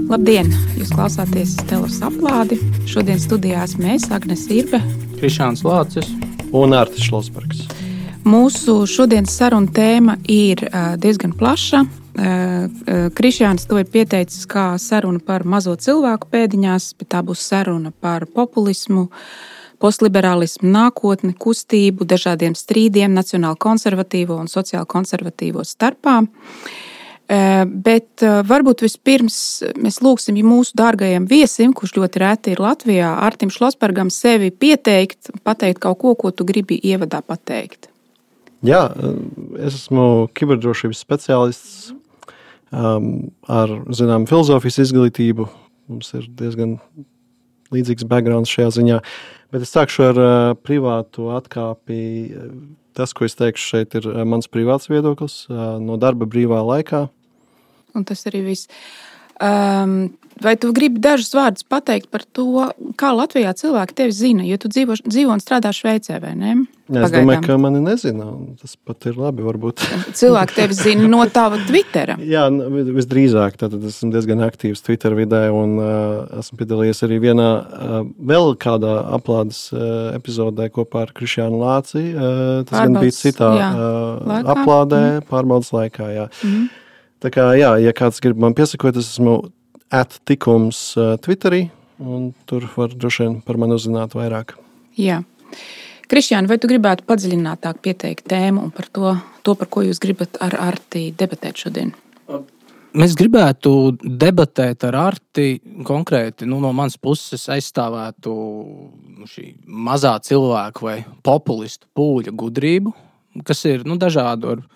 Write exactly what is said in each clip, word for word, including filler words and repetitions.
Labdien! Jūs klausāties Stellas aplādi. Šodien studijā esmu es, Agnes Irbe, Krišjāns Lācis un Ārtis Šlosbergs. Mūsu šodienas saruna tēma ir diezgan plaša. Krišjāns to ir pieteicis kā saruna par mazo cilvēku pēdiņās, bet tā būs saruna par populismu, postliberālismu, nākotni, kustību, dažādiem strīdiem nacionāli konservatīvo un sociāli konservatīvo starpā. Bet varbūt vispirms mēs lūgsim mūsu dārgajam viesim, kurš ļoti reti ir Latvijā, Ārtim Šlosbergam, sevi pieteikt, pateikt kaut ko, ko tu gribi ievadā pateikt. Jā, es esmu kiberdrošības speciālists um, ar, zinām, filozofijas izglītību. Mums ir diezgan līdzīgs backgrounds šajā ziņā. Bet es sākšu ar uh, privātu atkāpi. Tas, ko es teikšu šeit, ir mans privāts viedoklis uh, no darba brīvā laikā. Un tas arī viss. Um, vai tu gribi dažus vārdus pateikt par to, kā Latvijā cilvēki tevi zina? Jo tu dzīvo, dzīvo un strādā Šveicē, vai ne? Jā, es domāju, ka mani nezina. Tas pat ir labi, varbūt. Cilvēki tevi zina no tava Twittera. Jā, visdrīzāk. Tātad esmu diezgan aktīvs Twitter vidē un uh, esmu piedalījies arī vienā uh, vēl kādā aplādes uh, epizodē kopā ar Krišjānu Lāci. Uh, tas gan bija citā jā, uh, aplādē, mm. pārbaudas laikā. Jā. Mm. Tā kā, jā, ja kāds grib man piesakot, es esmu at tikums uh, Twitterī un tur var droši vien par mani uzzināt vairāk. Jā. Krišjāni, vai tu gribētu padziļinātāk pieteikt tēmu un par to, to, par ko jūs gribat ar Arti debatēt šodien? Mēs gribētu debatēt ar Arti konkrēti, nu, no manas puses aizstāvētu šī mazā cilvēku vai populistu pūļa gudrību, kas ir nu, dažādu ar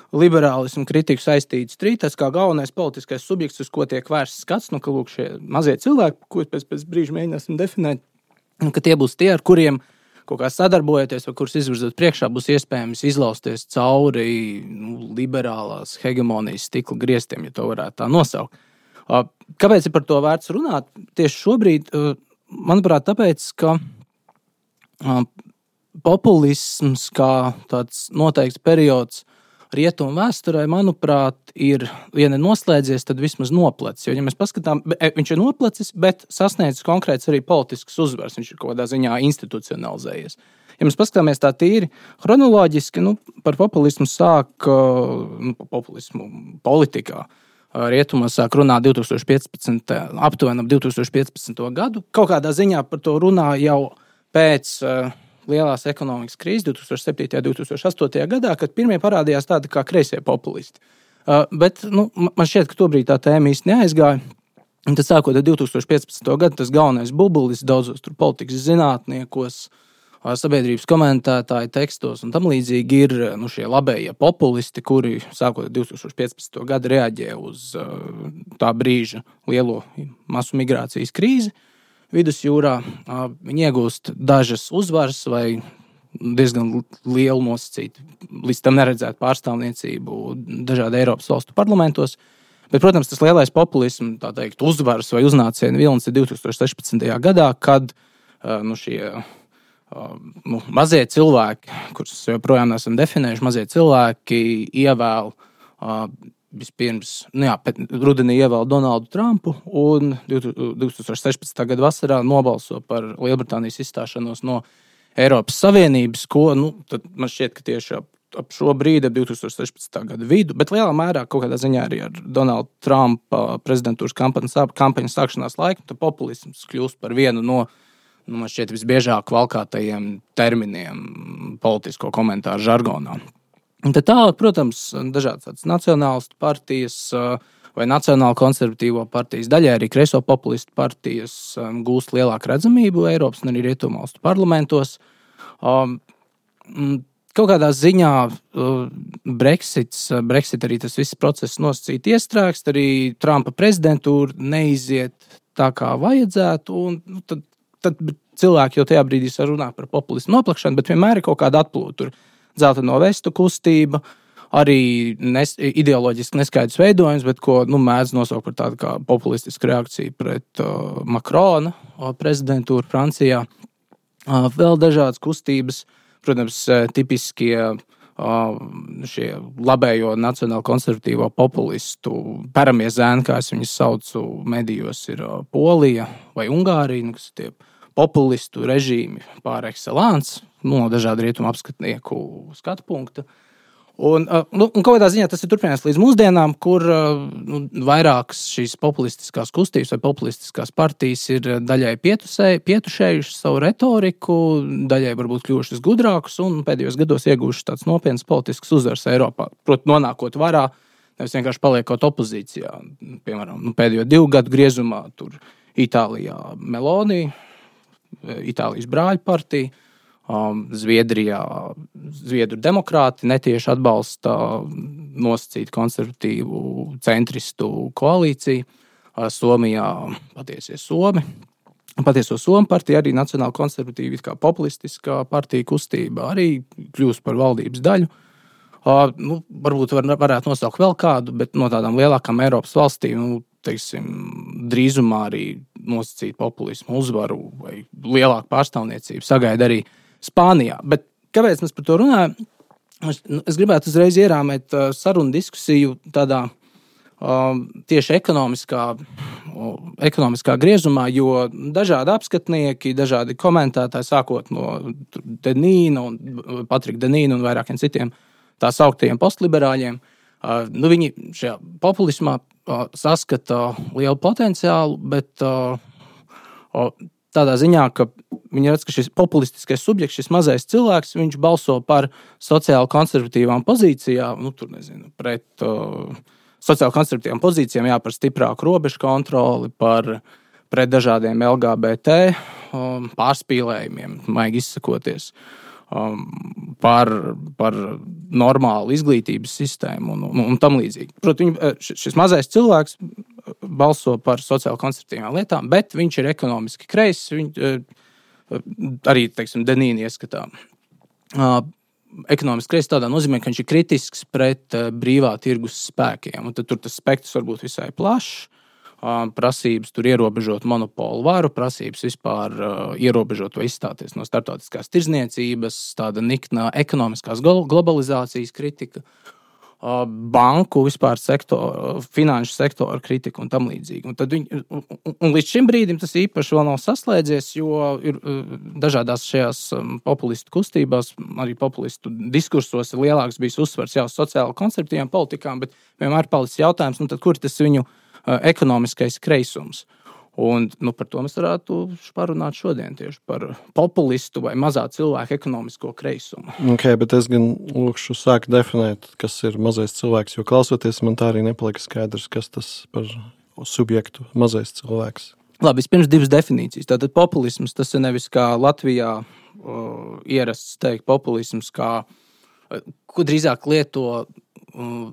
liberālismu kritiku saistīts strītas, kā galvenais politiskais subjekts, uz ko tiek vērsts skats, nu, ka lūk šie mazie cilvēki, ko pēc, pēc brīža mēģināsim definēt, un ka tie būs tie, ar kuriem kaut kā sadarbojoties, vai kurus izvirzot priekšā, būs iespējams izlausties cauri nu, liberālās hegemonijas stikla griestiem, ja to varētu tā nosaukt. Kāpēc ir par to vērts runāt? Tieši šobrīd, manuprāt, tāpēc, ka populisms kā tāds noteikts periods rietumu vēsturē, manuprāt, ir, ja ne noslēdzies, tad vismaz noplec. Jo, ja mēs paskatām, viņš ir noplecis, bet sasniedzis konkrēts arī politisks uzvars. Viņš ir kaut kādā ziņā institucionalizējies. Ja mēs paskatāmies tā tīri chronoloģiski, nu, par populismu sāk, nu, populismu politikā. Rietumos sāk runāt divi tūkstoši piecpadsmitajā aptuveni ap divi tūkstoši piecpadsmito gadu. Kaut kādā ziņā par to runā jau pēc lielās ekonomikas krīzes divi tūkstoši septītajā, divi tūkstoši astotajā gadā, kad pirmie parādījās tādi kā kreisie populisti. Uh, bet nu, man šķiet, ka tobrīd tā tēma īsti neaizgāja. Un tad sākot ar divi tūkstoši piecpadsmito gadu, tas galvenais bubulis daudzos tur politikas zinātniekos, uh, sabiedrības komentētāju tekstos un tam līdzīgi ir nu, šie labējie populisti, kuri sākot ar divi tūkstoši piecpadsmito gadu reaģē uz uh, tā brīža lielo masu migrācijas krīzi. Vidusjūrā viņi iegūst dažas uzvaras vai diezgan lielu nosacītu, līdz tam neredzētu pārstāvniecību dažādu Eiropas valstu parlamentos. Bet, protams, tas lielais populisms, tā teikt, uzvaras vai uznāciena vilnis ir divi tūkstoši sešpadsmitajā gadā, kad nu, šie nu, mazie cilvēki, kurus joprojām esam definējuši, mazie cilvēki ievēl vispirms, nu jā, rudenī ievēl Donaldu Trumpu un divi tūkstoši sešpadsmitā gada vasarā nobalso par Lielbritānijas izstāšanos no Eiropas Savienības, ko, nu, tad man šķiet, ka tieši ap, ap šo brīdi, ap divi tūkstoši sešpadsmitā gada vidu, bet lielā mērā kaut kādā ziņā arī ar Donaldu Trumpa prezidentūras kampaņas, kampaņas sākšanās laiku, tad populisms kļūst par vienu no, nu, man šķiet, visbiežāk valkātajiem terminiem politisko komentāru žargonā. Un tad tālāk, protams, dažādas nacionālistu partijas vai nacionāli konservatīvo partijas, daļai arī kreiso populistu partijas gūst lielāku redzamību Eiropas un arī rietumu valstu parlamentos. Kaut kādā ziņā Brexits, Brexit arī tas viss process nosacīti iestrēgst, arī Trumpa prezidentūra neiziet tā, kā vajadzētu, un nu, tad, tad cilvēki jau tajā brīdī runā par populismu noplakšanu, bet vienmēr ir kaut kāda atplūta. Dzelteno vestu kustība, arī nes, ideoloģiski neskaidrs veidojums, bet ko nu, mēdz nosaukt par tādu kā populistisku reakciju pret uh, Macrona uh, prezidentūru Francijā. Uh, vēl dažādas kustības, protams, uh, tipiskie šie labējo nacionāli konservatīvo populistu paramie zēni, kā es viņus saucu medijos, ir Polija vai Ungārija, kas ir tie populistu režīmi par excellence, no dažādu rietumu apskatnieku skatu punkta. Un, nu, un kādā ziņā tas ir turpinājies līdz mūsdienām, kur nu, vairākas šīs populistiskās kustības vai populistiskās partijas ir daļai pietušējušas savu retoriku, daļai varbūt kļuvušas gudrākas un pēdējos gados iegūšas tāds nopietns politisks uzvars Eiropā. Proti, nonākot varā, nevis vienkārši paliekot opozīcijā. Piemēram, nu, pēdējo divu gadu griezumā tur Itālijā Meloni, Itālijas brāļu partija, Um, Zviedrijā Zviedru demokrāti netieši atbalsta nosacītu konservatīvu centristu koalīciju. Uh, Somijā patiesie Somi. Patieso Somu partija, arī nacionāli konservatīva, kā populistiskā partija kustība, arī kļūst par valdības daļu. Uh, nu, varbūt var, varētu nosaukt vēl kādu, bet no tādām lielākām Eiropas valstīm, nu, teiksim, drīzumā arī nosacīt populismu uzvaru vai lielāku pārstāvniecību sagaida arī Spānijā. Bet kāpēc mēs par to runājam? Es, es gribētu uzreiz ierāmēt uh, sarunu diskusiju tādā uh, tieši ekonomiskā, uh, ekonomiskā griezumā, jo dažādi apskatnieki, dažādi komentētāji, sākot no Denīna un Patrika Denīna un vairākiem citiem tā sauktajiem postliberāļiem, uh, nu, viņi šajā populismā uh, saskata lielu potenciālu, bet uh, uh, tādā ziņā, ka viņi redz, ka šis populistiskais subjekts, šis mazais cilvēks, viņš balso par sociāli konservatīvām pozīcijām, nu, tur nezinu, pret uh, sociāli konservatīvām pozīcijām, jā, par stiprāku robežu kontroli, par pret dažādiem L G B T um, pārspīlējumiem, maigi izsakoties, um, par, par normālu izglītības sistēmu un, un, un tam līdzīgi. Protams, šis mazais cilvēks balso par sociāli konservatīvām lietām, bet viņš ir ekonomiski kreis, viņš arī, teiksim, Denīna ieskatā. Uh, ekonomiski kreis tādā nozīmē, ka viņš ir kritisks pret uh, brīvā tirgus spēkiem. Un tad tur tas spektrs var būt visai plašs. Uh, prasības tur ierobežot monopolu varu, prasības vispār uh, ierobežot vai izstāties no starptautiskās tirdzniecības, tāda nikna ekonomiskās globalizācijas kritika, uh, banku vispār sektoru, finanšu sektoru kritika un tam līdzīgi. Un, tad viņi, un, un līdz šim brīdim tas īpaši vēl nav saslēdzies, jo ir uh, dažādās šajās um, populistu kustībās, arī populistu diskursos ir lielāks bijis uzsvars jau sociāli konservatīvām politikām, bet vienmēr palicis jautājums, nu tad kur tas viņu uh, ekonomiskais kreisums? Un, nu, par to mēs varētu parunāt šodien tieši par populistu vai mazā cilvēka ekonomisko kreisumu. Okay, bet es gan lūkšu sākt definēt, kas ir mazais cilvēks, jo klausoties man tā arī nepalika skaidrs, kas tas par subjektu mazais cilvēks. Labi, vispirms divas definīcijas. Tātad populisms, tas ir nevis kā Latvijā uh, ierasts teikt populisms, kā, uh, ko drīzāk lieto uh,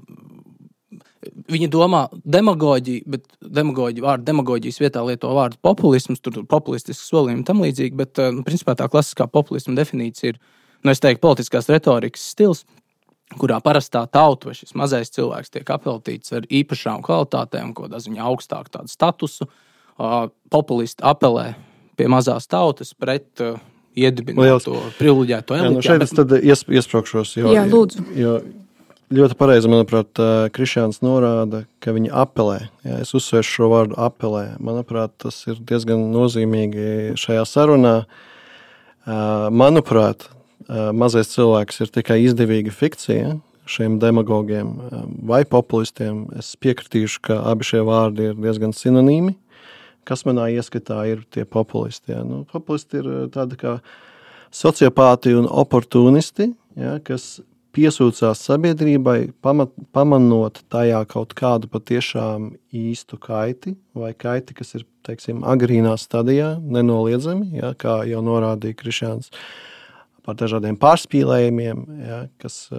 Viņi domā demagoģiju, bet demagoģi, vārdu demagoģijas vietā lieto vārdu populisms, tur populistisks solījumi tam līdzīgi, bet, nu, principā tā klasiskā populisma definīcija ir, nu, es teiktu, politiskās retorikas stils, kurā parastā tauta vai šis mazais cilvēks tiek apveltīts ar īpašām kvalitātēm, kādā ziņā augstāk tādu statusu. Uh, populisti apelē pie mazās tautas pret uh, iedibināto privileģēto elitu. Jā, nu šeit es tad ies, iespraukšos, jo... Jā, lūdzu. Jo, ļoti pareizi, manuprāt, Krišjāns norāda, ka viņi apelē. Jā, es uzsvēršu šo vārdu apelē. Manuprāt, tas ir diezgan nozīmīgi šajā sarunā. Manuprāt, mazais cilvēks ir tikai izdevīga fikcija šiem demagogiem vai populistiem. Es piekritīšu, ka abi šie vārdi ir diezgan sinonīmi. Kas manā ieskatā ir tie populisti? Jā? Nu, populisti ir tādi kā sociopāti un oportunisti, jā, kas piesūcās sabiedrībai, pamat, pamanot tajā kaut kādu patiešām īstu kaiti, vai kaiti, kas ir, teiksim, agrīnā stadijā, nenoliedzami, ja, kā jau norādīja Krišjāns, par dažādiem pārspīlējumiem, ja, kas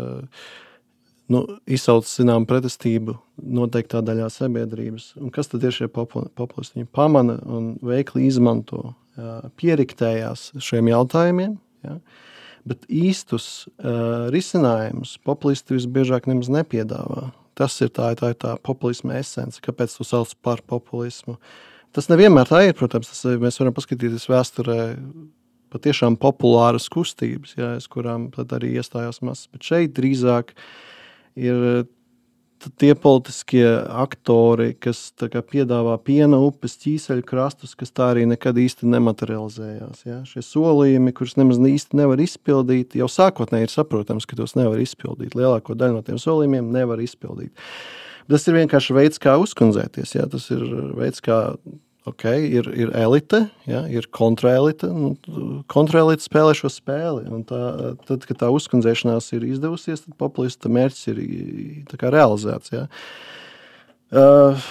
nu, izsauc, zinām, pretestību noteiktā daļā sabiedrības. Un kas tad ir šie populisti? Viņi pamana un veikli izmanto, ja, pieriktējās šiem jautājumiem, ja, bet īstus uh, risinājumus populisti visbiežāk nemaz nepiedāvā. Tas ir tā, tā, tā populisma esence, kāpēc to sauc par populismu. Tas nevienmēr tā ir, protams, tas, mēs varam paskatīties vēsturē patiešām populāras kustības, jā, uz kurām tad arī iestājās masas. Bet šeit drīzāk ir tie politiskie aktori, kas tā kā piedāvā piena upes, ķīseļu krastus, kas tā arī nekad īsti nematerializējās. Ja? Šie solījumi, kurus nemaz īsti nevar izpildīt, jau sākotnēji ir saprotams, ka tos nevar izpildīt. Lielāko daļu no tiem solījumiem nevar izpildīt. Tas ir vienkārši veids, kā uzkundzēties. Ja? Tas ir veids, kā ok, ir, ir elite, ja? Ir kontraelite. Nu, kontraelite spēlē šo spēli. Un tā, tad, kad tā uzkundzēšanās ir izdevusies, tad populista mērķis ir tā kā realizēts. Ja? Uh,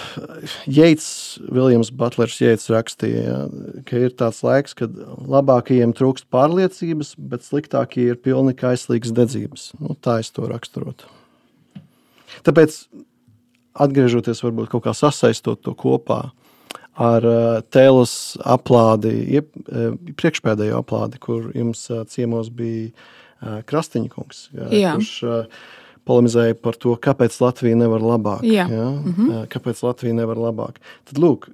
Yeats, Williams Butlers Yeats rakstīja, ja? Ka ir tāds laiks, kad labākajiem trūkst pārliecības, bet sliktākie ir pilni kaislīgas dedzības. Nu, tā es to raksturotu. Tāpēc, atgriežoties varbūt kaut kā sasaistot to kopā, ar tēlas aplādi, priekšpēdējo aplādi, kur jums ciemos bija Krastiņa kungs, jā. Kurš polemizēja par to, kāpēc Latvija nevar labāk. Jā. Jā? Mhm. Kāpēc Latvija nevar labāk. Tad lūk,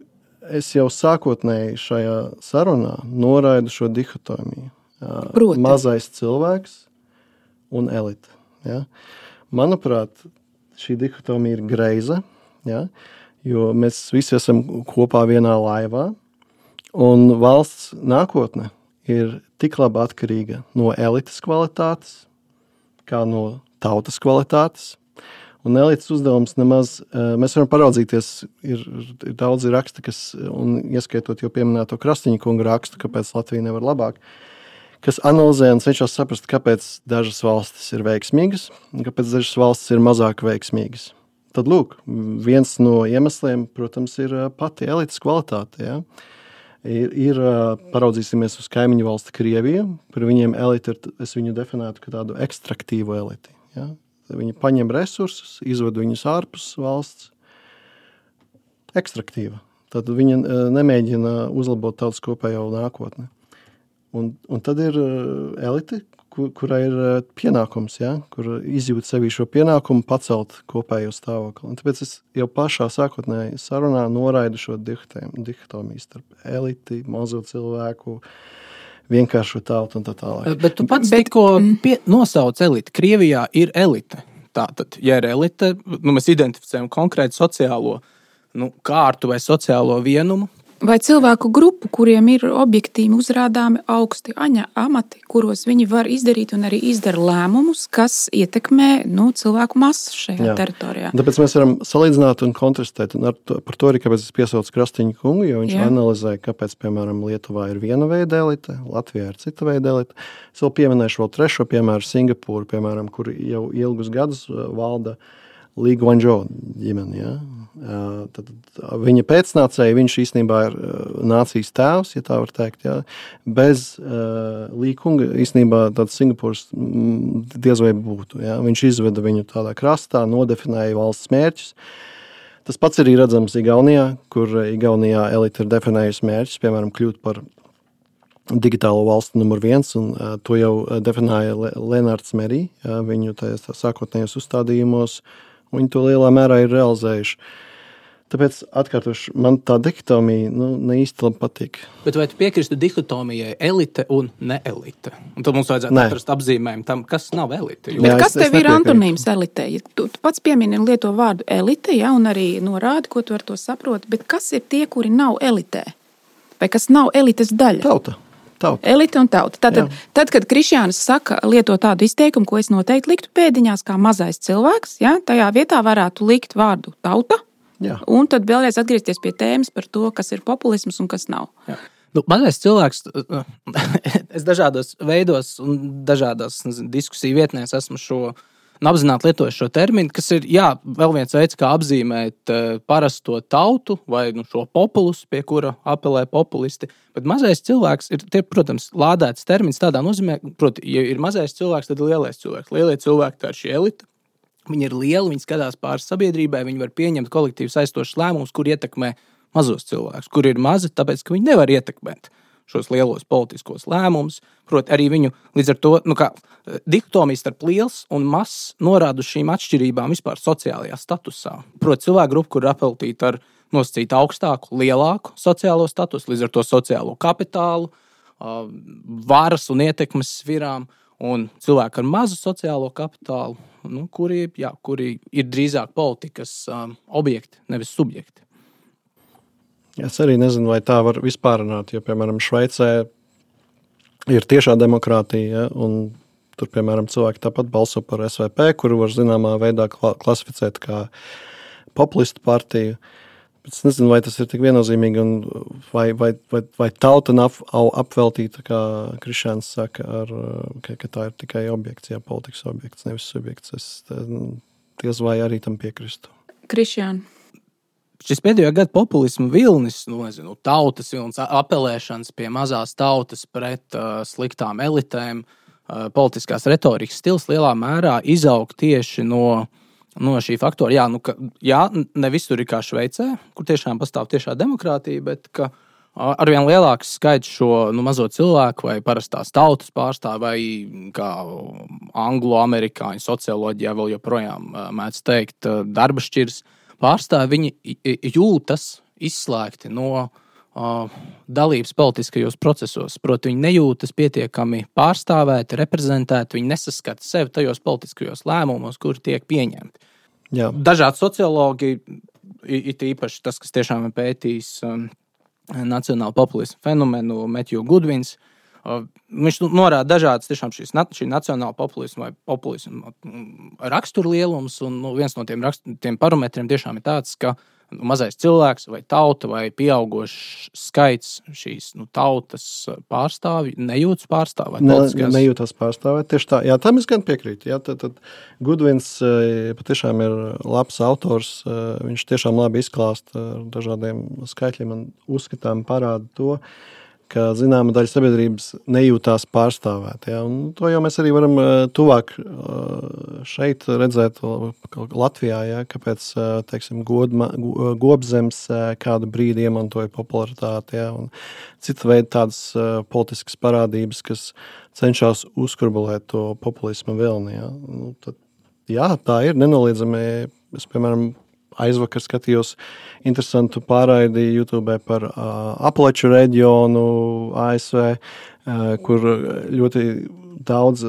es jau sākotnēji šajā sarunā noraidu šo dihotomiju. Proti. Mazais cilvēks un elite. Ja? Manuprāt, šī dihotomija ir greiza, ja? Jo mēs visi esam kopā vienā laivā, un valsts nākotne ir tik labi atkarīga no elites kvalitātes, kā no tautas kvalitātes. Un elites uzdevums nemaz, mēs varam paraudzīties, ir, ir daudzi raksti, kas, un ieskaitot jau pieminēto Krastiņa kunga rakstu, kāpēc Latvija nevar labāk, kas analizē un cenšas saprast, kāpēc dažas valstis ir veiksmīgas, un kāpēc dažas valstis ir mazāk veiksmīgas. Tad, lūk, viens no iemesliem, protams, ir pati elites kvalitāte. Ja? Ir, ir, paraudzīsimies uz kaimiņu valsti Krieviju, par viņiem elite ir, es viņu definētu kā tādu ekstraktīvu eliti. Ja? Viņi paņem resursus, izved viņus ārpus valsts. Ekstraktīva. Tad viņi nemēģina uzlabot tautas kopējo nākotni. Un, un tad ir elite, kur, kurai ir pienākums, ja? Kur izjūt sevī šo pienākumu pacelt kopējo stāvokli. Un tāpēc es jau pašā sākotnēji sarunā noraidu šo dihotomiju starp eliti, mazo cilvēku, vienkāršu tautu un tā tālāk. Bet tu pats Bet... tikko pie, nosauc eliti. Krievijā ir elite. Tātad, ja ir elite, nu, mēs identificējam konkrētu sociālo nu, kārtu vai sociālo vienumu, vai cilvēku grupu, kuriem ir objektīvi uzrādāmi augsti aņa amati, kuros viņi var izdarīt un arī izdara lēmumus, kas ietekmē nu, cilvēku masu šajā Jā. teritorijā. Tāpēc mēs varam salīdzināt un kontrastēt. Un ar to, par to arī, kāpēc es piesaucu Krastiņu kungu, jo viņš Jā. analizēja, kāpēc, piemēram, Lietuvā ir viena veida elite, Latvijā ir cita veida elite. Es vēl pieminēšu vēl trešo piemēru Singapūru, piemēram, kur jau ilgus gadus valda Li Guangzhou ģimeni, ja? Tad viņa pēcnācēji, viņš īstenībā ir nācijas tēvs, ja tā var teikt, ja? Bez uh, Li kunga īstenībā tāds Singapūras diez vai būtu, ja? Viņš izveda viņu tādā krastā, nodefinēja valsts mērķus. Tas pats arī redzams Igaunijā, kur Igaunijā elite ir definējusi mērķus, piemēram, kļūt par digitālo valstu numur viens, un uh, to jau definēja Lenārds Merī, ja? Viņu tajās tā sākotnējos uzstādījumos, viņi to lielā mērā ir realizējuši. Tāpēc, atkārtoši, man tā dihotomija nu, ne īsti labi patīk. Bet vai tu piekristu dihotomijai elite un neelite? Un tad mums vajadzētu Nē. atrast apzīmējumu tam, kas nav elite. Jo... Bet Jā, kas es, tev es ir antonīms elite? Ja tu, tu pats piemini un lieto vārdu elite, ja, un arī norādi, ko tu ar to saproti, bet kas ir tie, kuri nav elitē? Vai kas nav elites daļa? Tauta. Tauta. Elite un tauta. Tātad, tad, kad Krišjānis saka, lieto tādu izteikumu, ko es noteikti liktu pēdiņās kā mazais cilvēks, ja, tajā vietā varētu likt vārdu tauta, Jā. un tad vēlreiz atgriezties pie tēmas par to, kas ir populisms un kas nav. Jā. Nu, mazais cilvēks, es dažādos veidos un dažādās diskusiju vietnēs esmu šo apzināti lietoju šo terminu, kas ir, jā, vēl viens veids, kā apzīmēt uh, parasto tautu vai nu, šo populusu, pie kura apelē populisti. Bet mazais cilvēks ir, tie, protams, lādēts termins tādā nozīmē, proti, ja ir mazais cilvēks, tad ir lielais cilvēks. Lielie cilvēki, tā ir šī elite. Viņi ir lieli, viņi skatās pāri sabiedrībai, viņi var pieņemt kolektīvi saistošus lēmumus, kur ietekmē mazos cilvēkus, kur ir mazi, tāpēc, ka viņi nevar ietekmēt šos lielos politiskos lēmumus. Proti, arī viņu līdz ar to, nu kā, dihotomija starp liels un mazs norāda uz šīm atšķirībām vispār sociālajā statusā. Proti, cilvēku grupa, kur ir apeltīta ar nosacītu augstāku, lielāku sociālo statusu, līdz ar to sociālo kapitālu, varas un ietekmes svirām, un cilvēki ar mazu sociālo kapitālu, nu, kuri, jā, kuri ir drīzāk politikas um, objekti, nevis subjekti. Es arī nezinu, vai tā var vispār runāt, jo, piemēram, Šveicē ir tiešā demokrātija, ja, un tur, piemēram, cilvēki tāpat balso par S V P, kuru var zināmā veidā klasificēt kā populistu partiju. Bet es nezinu, vai tas ir tik viennozīmīgi, un vai, vai, vai, vai tauta nav apveltīta, kā Krišjāns saka, ar, ka, ka tā ir tikai objekts, jā, politikas objekts, nevis subjekts. Es diez vai arī tam piekristu. Krišjān. Šis pēdējo gadu populismu vilnis, nu, nezinu, tautas vilnis, apelēšanas pie mazās tautas pret uh, sliktām elitēm, uh, politiskās retorikas stils lielā mērā izaug tieši no No šī faktora, jā, nu, ka, jā, ne visur ir kā Šveicē, kur tiešām pastāv tiešā demokrātija, bet ka arvien lielāks skaits šo nu, mazo cilvēku vai parastās tautas pārstāv vai kā anglo-amerikāņu socioloģijā vēl joprojām mēdz teikt darba šķirs pārstāv, viņi jūtas izslēgti no uh, dalības politiskajos procesos. Proti, viņi nejūtas pietiekami pārstāvēti, reprezentēti, viņi nesaskata sevi tajos politiskajos lēmumos, kuri tiek pieņemti. Jā. Dažādi sociologi, it īpaši tas, kas tiešām ir pētījis um, nacionālu populismu fenomenu, Matthew Goodwins, uh, viņš norāda dažādas tiešām šīs, šī nacionāla populisma vai populisma raksturlielums, un nu, viens no tiem, rakst, tiem parametriem tiešām ir tāds, ka mazais cilvēks vai tauta vai pieaugošs skaits šīs nu, tautas pārstāvji nejūtas pārstāvēt. Ne, nejūtas pārstāvēt, tieši tā. Jā, tam es gan piekrītu. Jā, tad, tad Goodwins patiešām ir labs autors, viņš tiešām labi izklāsta ar dažādiem skaitļiem un uzskatām parāda to, ka zināma daļa sabiedrības nejūtās pārstāvēt. Ja? Un to jau mēs arī varam tuvāk šeit redzēt Latvijā, ja? Kāpēc, teiksim, Godma, Gobzems kādu brīdi iemantoja popularitāti, ja? Un cita veida tādas politiskas parādības, kas cenšas uzkurbulēt to populismu vilni. Ja? Nu, tad, jā, tā ir nenoliedzami. Es, piemēram, aizvakar skatījos interesantu pārraidi YouTube par uh, Apaleču reģionu A S V, uh, kur ļoti daudz,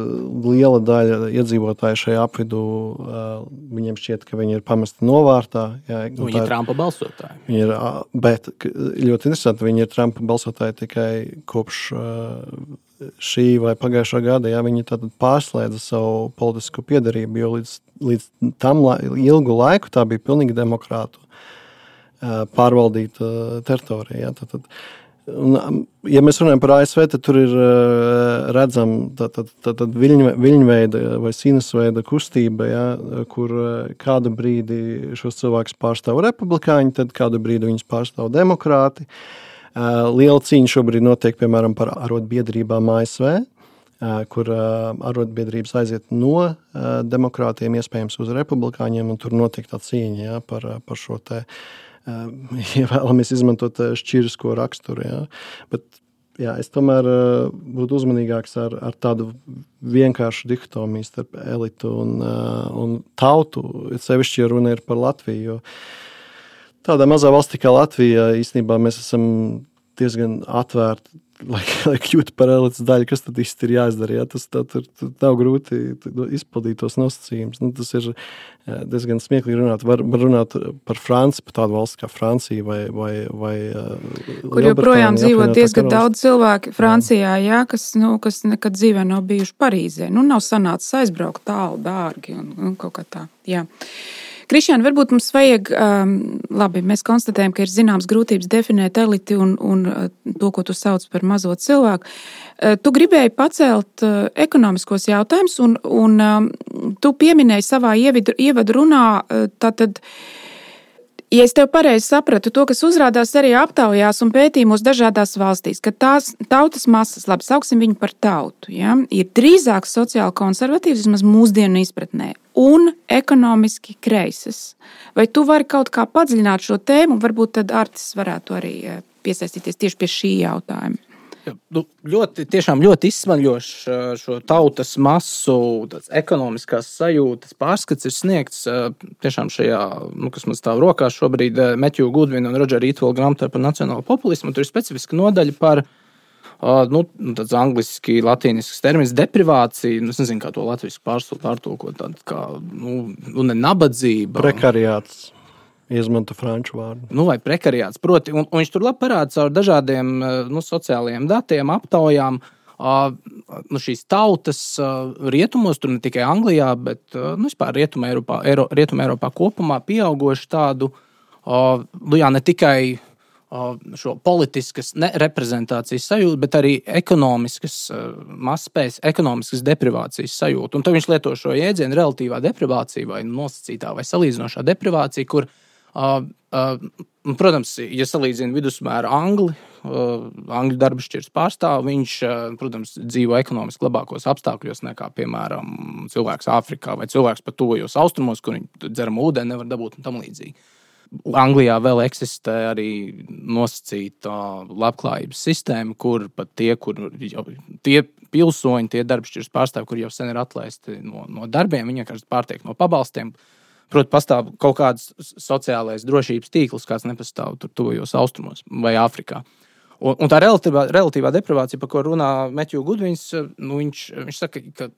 liela daļa iedzīvotāju šajā apvidū, uh, viņiem šķiet, ka viņi ir pamesti novārtā. Jā, viņi ir Trumpa balsotāji. Viņi ir, uh, bet ļoti interesanti, viņi ir Trumpa balsotāji tikai kopš uh, šī vai pagājušā gada, ja viņi tad pārslēdza savu politisko piedarību, jo līdz, līdz tam la, ilgu laiku tā bija pilnīgi demokrātu uh, pārvaldīta teritorija. Ja, tad, tad, un, ja mēs runājam par A S V, tad tur ir uh, redzam tad, tad, tad, tad viļņve, viļņveida vai sinusveida kustība, ja, kur uh, kādu brīdi šos cilvēkus pārstāv republikāņi, tad kādu brīdi viņus pārstāv demokrāti. Uh, liela cīņa šobrīd notiek, piemēram, par arotbiedrībām A S V, uh, kur uh, arotbiedrības aiziet no uh, demokrātiem, iespējams uz republikāņiem, un tur notiek tā cīņa, ja, par, par šo te, uh, ja vēlamies izmantot šķirisko raksturu. Ja. Bet, jā, es tomēr uh, būtu uzmanīgāks ar, ar tādu vienkāršu dihtomiju starp elitu un, uh, un tautu, sevišķi, ja runa ir par Latviju, jo tādā mazā valstī kā Latvija, īstenībā mēs esam diezgan atvērti, lai, lai kļūtu par elites daļu, kas tad īsti ir jāizdara. Jā? Tas tā, tur, tur nav grūti izpildīt tos nosacījumus. Nu, tas ir diezgan smieklīgi runāt. Var, var runāt par Franciju, par tādu valsts kā Francija vai, vai, vai kur joprojām dzīvo diezgan daudz cilvēki Francijā, jā, kas, nu, kas nekad dzīvē nav bijuši Parīzē. Nu, nav sanācis aizbraukt tālu, dārgi un, un kaut kā tā. Jā. Krišjān, varbūt mums vajag, um, labi, mēs konstatējam, ka ir zināms grūtības definēt eliti un, un to, ko tu sauc par mazo cilvēku. Uh, tu gribēji pacelt uh, ekonomiskos jautājumus, un, un um, tu pieminēji savā ievidu, ievadu runā, uh, tātad, ja es tev pareizi sapratu, to, kas uzrādās arī aptaujās un pētījumos dažādās valstīs, ka tās tautas masas, labi, sauksim viņu par tautu, ja, ir drīzāk sociāli konservatīvas, vismaz mūsdienu izpratnē, un ekonomiski kreisas. Vai tu vari kaut kā padziļināt šo tēmu, un varbūt tad Artis varētu arī piesaistīties tieši pie šī jautājuma? Nu, ļoti, tiešām ļoti izsmaļošs šo tautas masu, tāds ekonomiskās sajūtas pārskats ir sniegts tiešām šajā, nu, kas man stāv rokās šobrīd, Matthew Goodwin un Rodžera Eatwell grāmatā par nacionālo populismu. Tur ir specifiska nodaļa par Uh, nu, tāds angliski, latīnisks termins deprivācija, nu, es nezinu, kā to latviski pārtulkot, tāda kā, nu, nu, ne nabadzība. Prekariāts, izmanto franču vārdu. Nu, vai prekariāts, proti, un, un viņš tur labi parāda caur dažādiem, nu, sociālajiem datiem, aptaujām, uh, nu, šīs tautas uh, rietumos, tur ne tikai Anglijā, bet, uh, nu, vispār Rietuma Eiropā, Eiro, Rietuma Eiropā kopumā pieaugoši tādu, uh, nu, jā, ne tikai šo politiskas nereprezentācijas sajūtu, bet arī ekonomiskas mazspējas, ekonomiskas deprivācijas sajūtu. Un tad viņš lieto šo jēdzienu relatīvā deprivācija vai nosacītā vai salīdzinošā deprivācija, kur, uh, uh, protams, ja salīdzina vidusmēra Angli, uh, Angļu darba šķirs pārstāv, viņš, uh, protams, dzīvo ekonomiski labākos apstākļos nekā, piemēram, cilvēks Āfrikā vai cilvēks pat tuvajos austrumos, kur viņi dzeramu ūdeni nevar dabūt un tam līdzīgi. Anglijā vēl eksistē arī nosacīta labklājības sistēma, kur pat tie, kur jau, tie pilsoņi, tie darbšķiras pārstāvi, kur jau sen ir atlaisti no, no darbiem, viņi vienkārši pārtiek no pabalstiem. Proti, pastāv kaut kāds sociālais drošības tīkls, kāds nepastāv tur tuvajos austrumos vai Āfrikā. Un, un tā relatīvā, relatīvā deprivācija, par ko runā Matthew Goodwins, nu, viņš, viņš saka, ka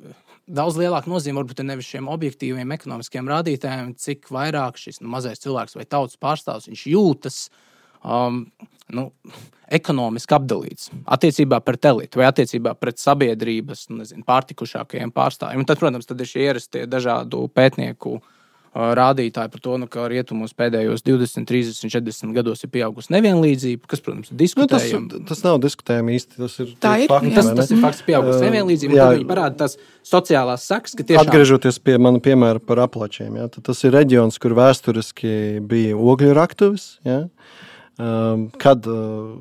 daudz lielāka nozīme varbūt ir nevis šiem objektīviem ekonomiskiem rādītājiem, cik vairāk šis nu, mazais cilvēks vai tautas pārstāvs, viņš jūtas um, nu, ekonomiski apdalīts attiecībā pret elitu vai attiecībā pret sabiedrības, nu, nezinu, pārtikušākajiem pārstāvjiem. Un tad, protams, tad ir šie ierastie dažādu pētnieku rādītāji par to, nu, ka rietumos pēdējos divdesmit, trīsdesmit, četrdesmit gados ir pieaugusi nevienlīdzība, kas, protams, diskutējam. Nu, tas, tas nav diskutējami īsti, tas ir tā ir, fakti. Tas, tas ir fakts pieaugusi nevienlīdzība, un tad viņi parāda tās sociālās sakas, ka tiešām... Atgriežoties pie mana piemēra par Apalačiem, ja, tad tas ir reģions, kur vēsturiski bija ogļu raktuves, ja, um, kad uh,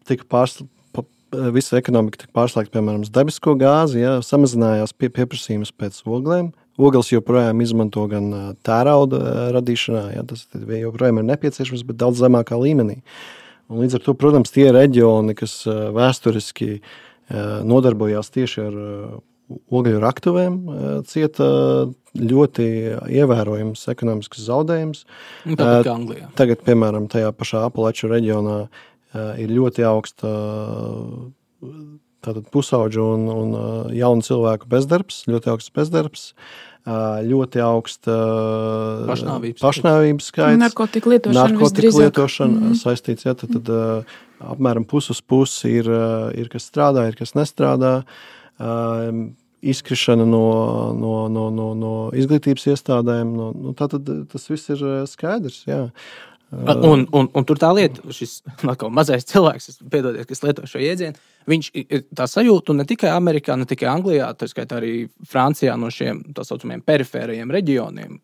tika pārslēgta, visa ekonomika tika pārslēgta, piemēram, uz debesko gāzi, ja, samazinājās pie, pieprasījums pēc oglēm. Ogles joprojām izmanto gan tērauda radīšanā, ja, tas joprojām ir nepieciešams, bet daudz zemākā līmenī. Un līdz ar to, protams, tie reģioni, kas vēsturiski nodarbojās tieši ar ogļu raktuvēm, cieta ļoti ievērojams ekonomisks zaudējums. Tāpat kā Anglijā. Tagad, piemēram, tajā pašā Apalaču reģionā ir ļoti augsta tātad pusauģu un, un jaunu cilvēku bezdarbs, ļoti augsts bezdarbs, ļoti augsta pašnāvības, pašnāvības skaits. Narkotika lietošana narkotika lietošana mm-hmm. saistīts, ja, tad, tad apmēram pus uz pusi ir, ir kas strādā, ir kas nestrādā. Izkrišana no, no, no, no, no izglītības iestādēm. No, no, tātad tas viss ir skaidrs, jā. Un, un, un tur tā lieta, šis mazais cilvēks, piedodiet, kas lieto šo jēdzienu, viņš tā sajūta ne tikai Amerikā, ne tikai Anglijā, tā skaitā arī Francijā no šiem tā saucamiem perifērajiem reģioniem.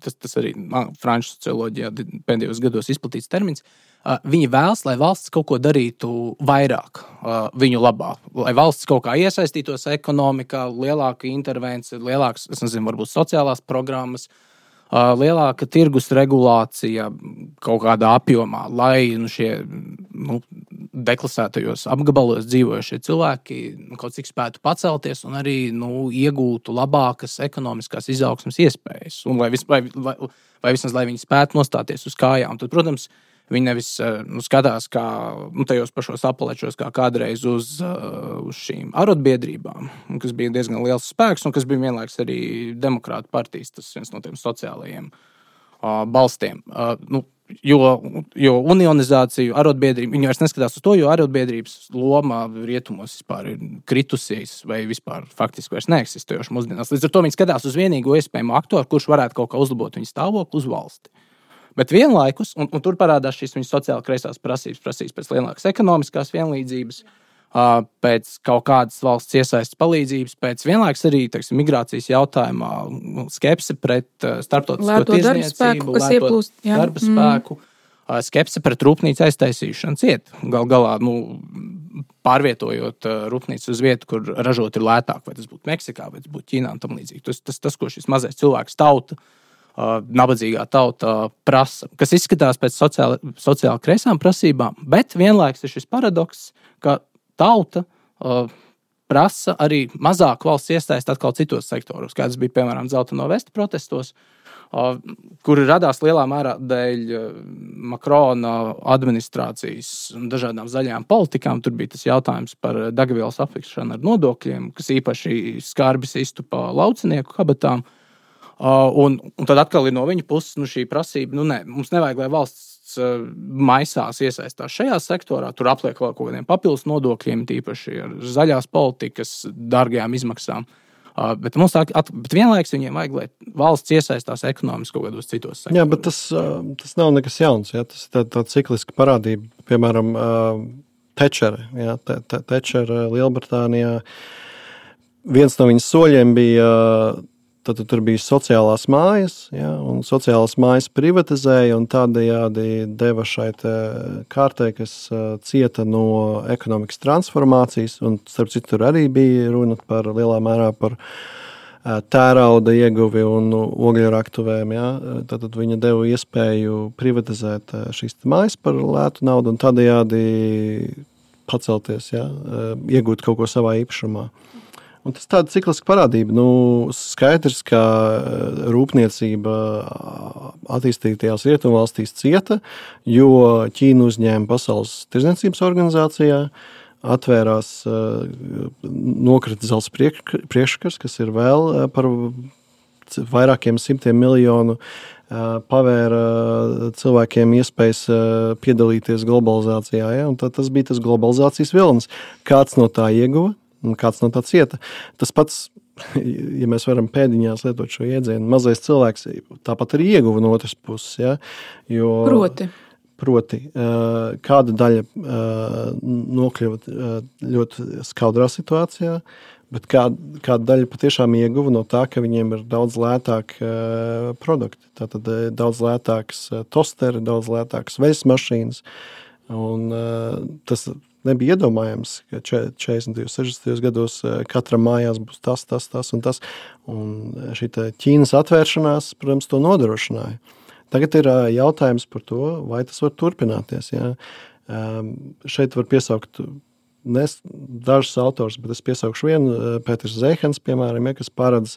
Tas, tas arī franču socioloģijā pēdējos gados izplatīts termins. Viņi vēlas, lai valsts kaut ko darītu vairāk viņu labā, lai valsts kaut kā iesaistītos ekonomikā, lielāka intervencija, lielāks, es nezinu, varbūt sociālās programmas, lielāka tirgus regulācija kaut kādā apjomā, lai nu, šie nu, deklasētajos apgabalos dzīvojušie cilvēki nu, kaut cik spētu pacelties un arī nu, iegūtu labākas ekonomiskās izaugsmes iespējas. Un lai, vis, vai, vai, vai vismaz, lai viņi spētu nostāties uz kājām. Tad, protams, viņi nevis nu, skatās kā nu, tajos pašos Apalečos, kā kādreiz uz, uz šīm arotbiedrībām, kas bija diezgan liels spēks un kas bija vienlaiks arī demokrātu partijas, tas viens no tiem sociālajiem uh, balstiem. Uh, nu, jo, jo unionizāciju, arotbiedrību, viņi vairs neskatās uz to, jo arotbiedrības loma rietumos vispār ir kritusies vai vispār faktiski vairs neeksistējoši mūsdienās. Līdz ar to viņi skatās uz vienīgo iespējamo aktoru, kurš varētu kaut kā uzlabot viņu stāvokli uz valsti. Bet vienlaikus, un, un tur parādās šīs viņas sociāli kreisās prasības, prasības pēc lielākas ekonomiskās vienlīdzības, pēc kaut kādas valsts iesaistas palīdzības, pēc vienlaikus arī, teiksim, migrācijas jautājumā skepse pret starptautisko tirdzniecību, lēto darba spēku, mm. skepse pret rūpnīcu aiztaisīšanu ciet. Gal galā, nu, pārvietojot rūpnīcu uz vietu, kur ražot ir lētāk, vai tas būtu Meksikā, vai tas būtu Ķīnā un tam līdzīgi. Tas, tas, tas, ko šis mazais cilvēks tauta, Uh, nabadzīgā tauta prasa, kas izskatās pēc sociāli, sociāli kreisām prasībām, bet vienlaiks ir šis paradoks, ka tauta uh, prasa arī mazāk valsts iesaist atkal citos sektoros, kā tas bija, piemēram, Dzelteno vestu protestos, kuri radās lielā mērā dēļ Makrona administrācijas un dažādām zaļajām politikām. Tur bija tas jautājums par degvielas aplikšanu ar nodokļiem, kas īpaši skarbi sistu pa laucinieku kabatām. Un, un tad atkal ir no viņa puses nu, šī prasība, nu ne, mums nevajag, lai valsts maisās iesaistās šajā sektorā, tur apliek vēl kaut kādiem papildus nodokļiem, tīpaši ar zaļās politikas dārgajām izmaksām. Bet, mums tā, at, bet vienlaiks viņiem vajag, lai valsts iesaistās ekonomiski kaut kādos citos sektoros. Jā, bet tas, tas nav nekas jauns. Jā. Tas ir tā, tā cikliska parādība. Piemēram, Tečere. Jā, te, te, Tečere Lielbritānijā. Viens no viņas soļiem bija... Tad tur bija sociālās mājas, ja, un sociālās mājas privatizēja un tādējādi deva šai kārtai, kas cieta no ekonomikas transformācijas. Un, starp citu, tur arī bija runa par lielā mērā par tērauda ieguvi un ogļraktuvēm. Ja. Tad viņa deva iespēju privatizēt šīs mājas par lētu naudu un tādējādi pacelties, ja, iegūt kaut ko savā īpašumā. Un tas tāda cikliska parādība. Nu, skaidrs, ka rūpniecība attīstītajās rietumvalstīs cieta, jo Ķīna uzņēma Pasaules tirdzniecības organizācijā, atvērās nokrita zelta priekškars, kas ir vēl par vairākiem simtiem miljonu pavēra cilvēkiem iespējas piedalīties globalizācijā. Ja? Un tad tas bija tas globalizācijas vilnis. Kāds no tā ieguva? Un kāds no tā cieta. Tas pats, ja mēs varam pēdiņās lietot šo iedzienu, mazais cilvēks tāpat arī ieguva no otras puses. Ja? Jo, proti. Proti, kāda daļa nokļuva ļoti skaudrā situācijā, bet kāda, kāda daļa patiešām ieguva no tā, ka viņiem ir daudz lētāk produkti. Tātad daudz lētāks tosteri, daudz lētāks veļas mašīnas. Un tas nebija iedomājams, ka četrdesmitajos, sešdesmitajos gados katram mājās būs tas, tas, tas un tas. Un šī Ķīnas atvēršanās, protams, to nodrošināja. Tagad ir jautājums par to, vai tas var turpināties. Ja? Šeit var piesaukt nes, dažus autors, bet es piesaukšu vienu, Pēters Zeihans, piemēram, ja, kas paredz,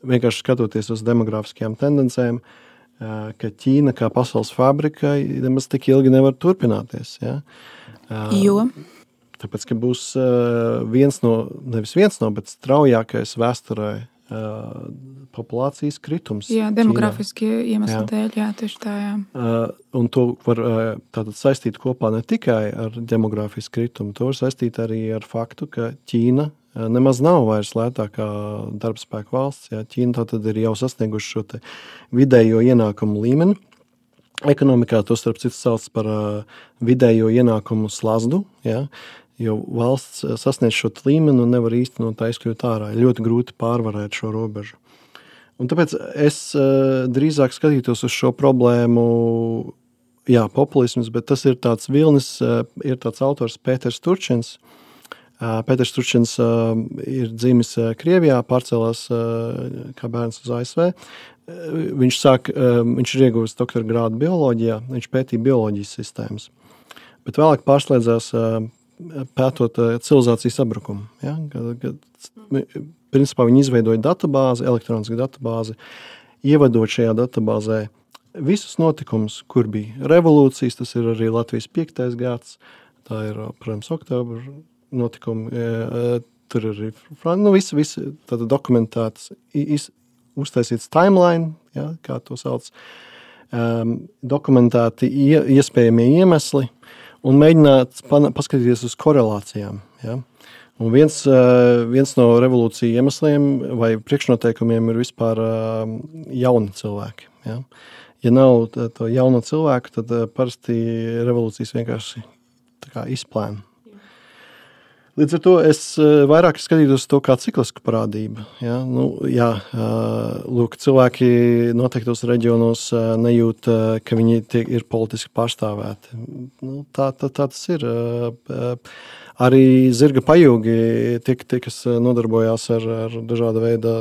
vienkārši skatoties uz demografiskajām tendencēm, ka Ķīna kā pasaules fabrika nemaz tik ilgi nevar turpināties. Ja? Jo? Tāpēc, ka būs viens no, nevis viens no, bet straujākais vēsturē populācijas kritums. Jā, demografiski iemesli dēļ, jā, tieši tā, jā. Un to var tātad saistīt kopā ne tikai ar demografisku kritumu, to var saistīt arī ar faktu, ka Ķīna nemaz nav vairs lētākā darbspēka valsts. Jā. Ķīna tātad ir jau sasnieguši šo te vidējo ienākumu līmeni. Ekonomikā to starp citu sauc par vidējo ienākumu slazdu, jā. Jo valsts sasniedz šo līmeni un nevar īsti no tā izkļūt ārā. Ļoti grūti pārvarēt šo robežu. Un tāpēc es drīzāk skatītos uz šo problēmu, jā, populisms, bet tas ir tāds vilnis, ir tāds autors Pēters Turčins. Pēters Turčins ir dzimis Krievijā, pārcēlās kā bērns uz A S V. Viņš, sāk, viņš ir ieguvis doktora grādu bioloģijā, viņš pētīja bioloģijas sistēmas. Bet vēlāk pārslēdzās pētot civilizācijas sabrukumu. Ja? Kad, kad, principā viņi izveidoja databāzi, elektronisku databāzi, ievadot šajā databāzē visus notikumus, kur bija revolūcijas, tas ir arī Latvijas piektais gads, tā ir, protams, oktobra notikumi, tur arī nu, visi, visi tātad dokumentētas, iz, uztaisīts timeline, ja, kā to sauc, um, dokumentēti ie, iespējamie iemesli un mēģināt paskatīties uz korelācijām. Ja. Un viens, uh, viens no revolūciju iemesliem vai priekšnoteikumiem ir vispār uh, jauni cilvēki. Ja. Ja nav to jauno cilvēku, tad uh, parasti revolūcijas vienkārši tā kā izplēna. Līdz ar to es vairāk skatītos to kā ciklisku parādību. Ja? Nu, jā, lūk, cilvēki noteiktos reģionos nejūt, ka viņi tiek, ir politiski pārstāvēti. Nu, tā, tā, tā tas ir. Arī zirga pajūgi, tie, tie kas nodarbojās ar, ar dažāda veida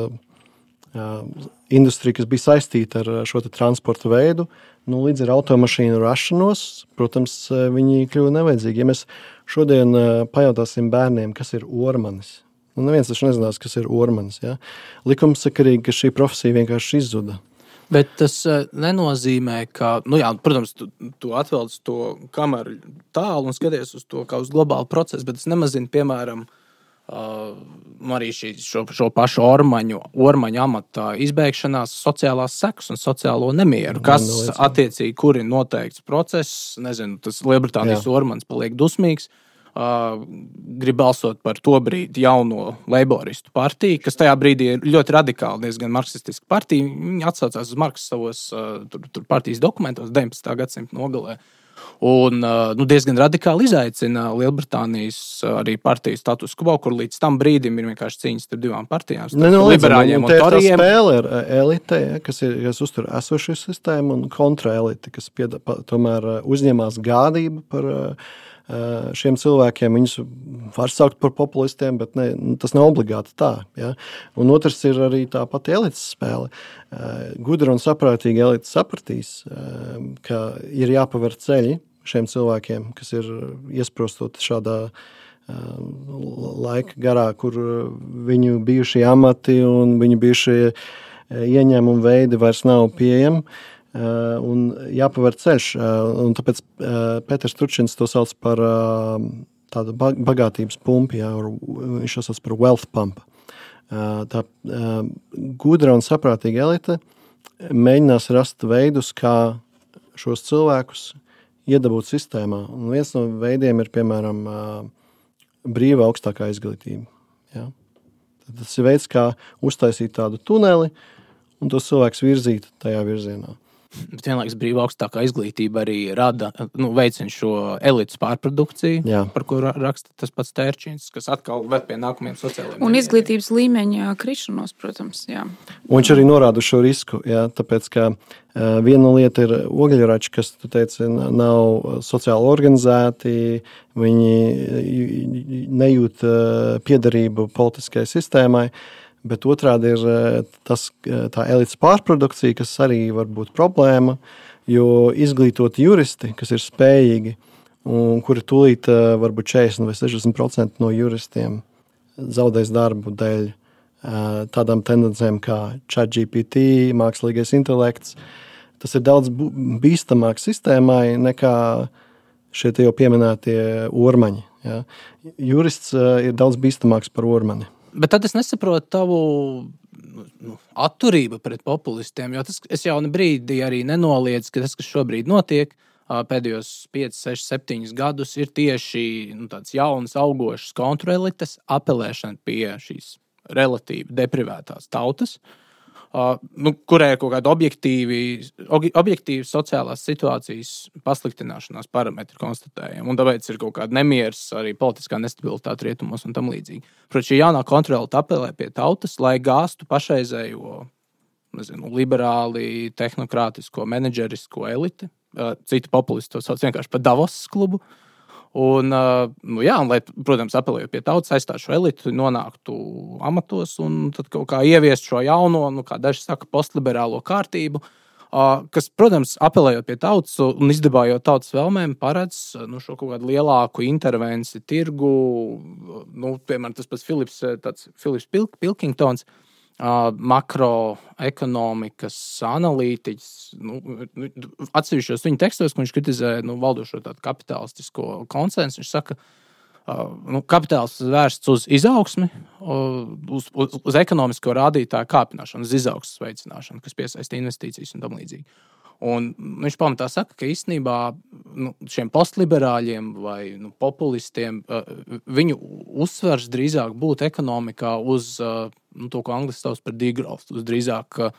industriju, kas bija saistīta ar šo transporta veidu, nu, līdz ar automašīnu rašanos, protams, viņi kļuva nevajadzīgi. Ja mēs šodien pajautāsim bērniem, kas ir ormanis, nu, neviens taču nezinās, kas ir ormanis. Ja? Likumsakarīgi, ka šī profesija vienkārši izzuda. Bet tas nenozīmē, ka, nu jā, protams, tu, tu atvelc to kameru tālu un skaties uz to kā uz globālu procesu, bet tas nemazina, piemēram, uh, arī šī, šo, šo pašu ormaņu, ormaņu amata izbeigšanās sociālās sekas un sociālo nemieru, kas attiecīgi, kur ir noteikts process, nezinu, tas Lielbritānijas ormanis paliek dusmīgs, Uh, grib balsot par to brīdi jauno leiboristu partiju, kas tajā brīdī ir ļoti radikāli, diezgan marksistiska partija. Viņi atsaucās uz Marksa savos uh, tur, tur partijas dokumentos deviņpadsmitā gadsimta nogalē. Un uh, nu, diezgan radikāli izaicina Lielbritānijas uh, arī partiju status quo, kur līdz tam brīdim ir vienkārši cīņas starp divām partijām, starp ne, no, liberāļiem un, un, un toriem. Tā spēle ir elite, ja, kas, ir, kas uztur esošu sistēmu, un kontraelite, kas pieda, pa, tomēr uzņemās gādību par uh, šiem cilvēkiem. Viņus var saukt par populistiem, bet ne, tas nav obligāti tā. Ja? Un otrs ir arī tā pati elites spēle. Gudra un saprātīga elite sapratīs, ka ir jāpaver ceļi šiem cilvēkiem, kas ir iesprostot šādā laika garā, kur viņu bijušie amati un viņu bijušie ieņēmumi veidi vairs nav pieejami. Uh, un jāpaver ceļš. Uh, un tāpēc uh, Pēters Turčins to sauc par uh, tādu bagātības pumpu, jā, viņš to sauc par wealth pump. Uh, tā uh, gudra un saprātīga elite mēģinās rast veidus, kā šos cilvēkus iedabūt sistēmā. Un viens no veidiem ir, piemēram, uh, brīva augstākā izglītība. Jā. Tas ir veids, kā uztaisīt tādu tuneli un tos cilvēkus virzīt tajā virzienā. Bet vienlaikus brīva augstākā izglītība arī rada, nu, veicina šo elites pārprodukciju, jā. Par ko raksta tas pats Tērčins, kas atkal ved pie nākamajiem sociālajiem. Un izglītības līmeņa krišanos, protams, jā. Un viņš arī norāda šo risku, jā, tāpēc, ka uh, viena lieta ir ogļrači, kas, tu teici, nav sociāli organizēti, viņi nejūt uh, piederību politiskai sistēmai, bet otrādi ir tas, tā elites pārprodukcija, kas arī var būt problēma, jo izglītoti juristi, kas ir spējīgi, un kuri tūlīt varbūt četrdesmit vai sešdesmit procenti no juristiem zaudēs darbu dēļ tādām tendencēm kā ChatGPT, mākslīgais intelekts. Tas ir daudz bīstamāk sistēmai nekā šie jau pieminētie ormaņi. Ja? Jurists ir daudz bīstamāks par ormani. Bet tad es nesaprotu tavu nu, atturību pret populistiem, jo tas, es jau ne brīdī arī nenoliedzu, ka tas, kas šobrīd notiek pēdējos pieci, seši, septiņi gadus, ir tieši nu, tāds jauns, augošs kontrelites apelēšana pie šīs relatīvi deprivētās tautas, Uh, nu, kurai ir kaut kāda objektīvi, objektīvi sociālās situācijas pasliktināšanās parametri konstatējami. Un tāpēc ir kaut kāda nemieras, arī politiskā nestabilitāte rietumos un tam līdzīgi. Protams, šī jaunā kontrole apelē pie tautas, lai gāstu pašreizējo, nezinu, liberāli, tehnokrātisko, menedžerisko eliti. Uh, citi populisti to sauc vienkārši par Davos klubu. Un, nu jā, un, lai, protams, apelējot pie tautas, aizstātu šo elitu, nonāktu amatos un tad kaut kā ieviest šo jauno, nu, kā daži saka, postliberālo kārtību, kas, protams, apelējot pie tautas un izdibājot tautas vēlmēm, paredz nu, šo kaut kādu lielāku intervenciju tirgu, nu, piemēram, tas pats Filips, tāds Filips Pilk, Pilkingtons, Uh, makroekonomikas analītiķis, nu, atsevišķos viņa tekstos, ko viņš kritizē nu, valdošo tādu kapitalistisko konsensu, viņš saka, uh, nu, kapitāls vērsts uz izaugsmi, uz, uz, uz ekonomisko rādītāju kāpināšanu, uz izaugsmes veicināšanu, kas piesaista investīcijas un tam līdzīgi. Un viņš pamatā saka, ka īstenībā nu, šiem postliberāļiem vai nu, populistiem uh, viņu uzsvars drīzāk būtu ekonomikā uz uh, nu, to, ko angliski sauc par degrowth, uz drīzāk uh,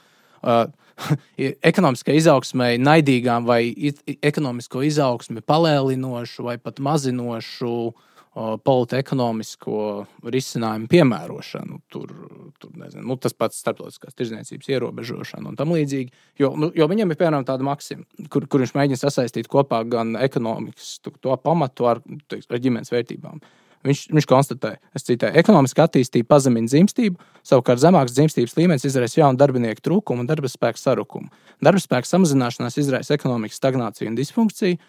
ekonomiskai izaugsmai naidīgām vai ekonomisko izaugsmi palēlinošu vai pat mazinošu politekonomisko risinājumu piemērošanu, tur, tur nezinu, nu, tas pats starptautiskās tirdzniecības ierobežošana un tam līdzīgi. Jo, nu, jo viņam ir, piemēram, tāda maksima, kur, kur viņš mēģina sasaistīt kopā gan ekonomikas to, to pamatu ar, teiks, ar ģimenes vērtībām. Viņš, viņš konstatē, es citēju, ekonomiska attīstība pazemina dzimstību, savukārt zemāks dzimstības līmenis izraisa jaunu darbinieku trūkumu un darba spēka sarukumu. Darba spēka samazināšanās izraisa ekonomikas stagnāciju un disfunkciju.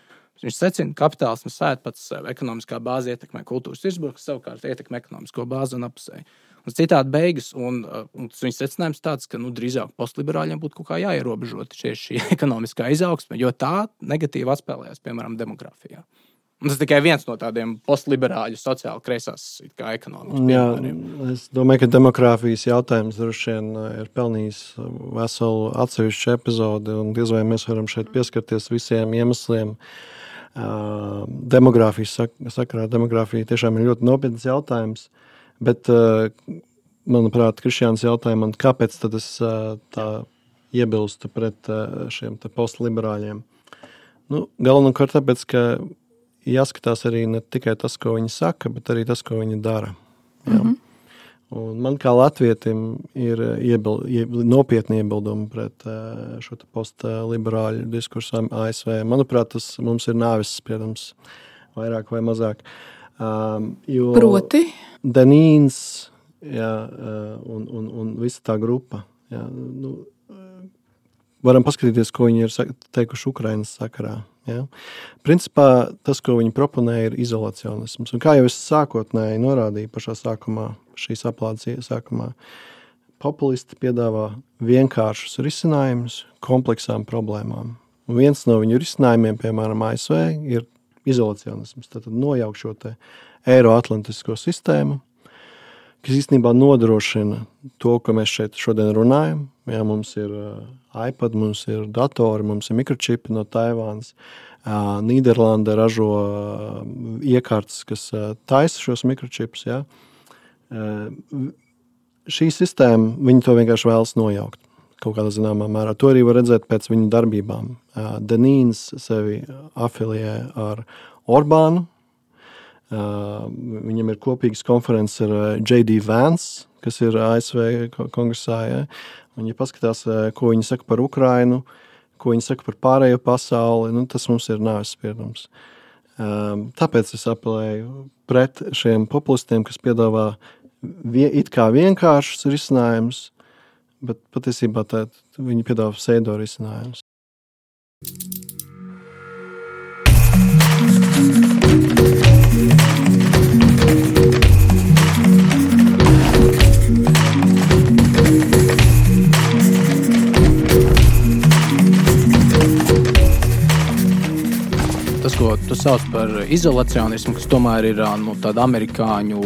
Viņš secina, ka kapitālisms sēd pats sev. Ekonomiskā bāze ietekmē kultūras izbūves, savukārt ietekmē ekonomisko bāzi un apusēji. un citādi beigas. Un, un tas viņas secinājums tāds, ka nu, drīzāk postliberāļiem būtu kaut kā jāierobežot šī ekonomiskā izaugsme, jo tā negatīvi atspēlējās, piemēram, demogrāfijā. Un tas tikai viens no tādiem postliberāļu sociāli kreisās kā ekonomikas piemēriem. Es domāju, ka demogrāfijas jautājums droši vien ir pelnījis veselu atsevišķu epizodi, un diez vai mēs varam šeit pieskarties visiem iemesliem. Uh, demogrāfijas sak- sakarā demogrāfija tiešām ir ļoti nopietns jautājums, bet, uh, manuprāt, Krišjāns jautāja man, kāpēc tad es uh, tā iebilstu pret uh, šiem te postliberāļiem. Nu, galvenokārt tāpēc, ka jāskatās arī ne tikai tas, ko viņi saka, bet arī tas, ko viņi dara. Jā. Mm-hmm. Un man kā latvietim ir iebil, iebil, nopietni iebildumi pret uh, šo postliberāļu diskursu A S V. Manuprāt, tas mums ir nāves spriedums vairāk vai mazāk. Um, jo Proti? Denīns jā, uh, un, un, un visa tā grupa. Jā, nu, varam paskatīties, ko viņi ir teikuši Ukrainas sakarā. Ja? Principā tas, ko viņi proponē, ir izolacionisms. Un kā jau es sākotnēji norādīju pašā sākumā, šīs aplādes sākumā, populisti piedāvā vienkāršus risinājumus kompleksām problēmām. Un viens no viņu risinājumiem, piemēram, A S V, ir izolacionisms. Tātad nojaukt šo te eiroatlantisko sistēmu, kas īstenībā nodrošina to, ko mēs šeit šodien runājam. Jā, mums ir uh, iPad, mums ir datori, mums ir mikročipi no Taivānas. Uh, Nīderlanda ražo uh, iekārtas, kas uh, taisa šos mikročipus. Jā. Uh, šī sistēma, viņi to vienkārši vēlas nojaukt kaut kādā zināmā mērā. To arī var redzēt pēc viņu darbībām. Uh, Denīns sevi afiliē ar Orbānu. Uh, viņam ir kopīgas konferences ar uh, J D Vance, kas ir A S V kongresā. Ja? Un, ja paskatās, uh, ko viņi saka par Ukrainu, ko viņi saka par pārējo pasauli, nu, tas mums ir nāves spriedums. Um, tāpēc es apelēju pret šiem populistiem, kas piedāvā vie, it kā vienkāršus risinājumus, bet patiesībā tā, viņi piedāvā pseido risinājumus. Tas, ko tu sauc par izolacionismu, kas tomēr ir nu, tāda amerikāņu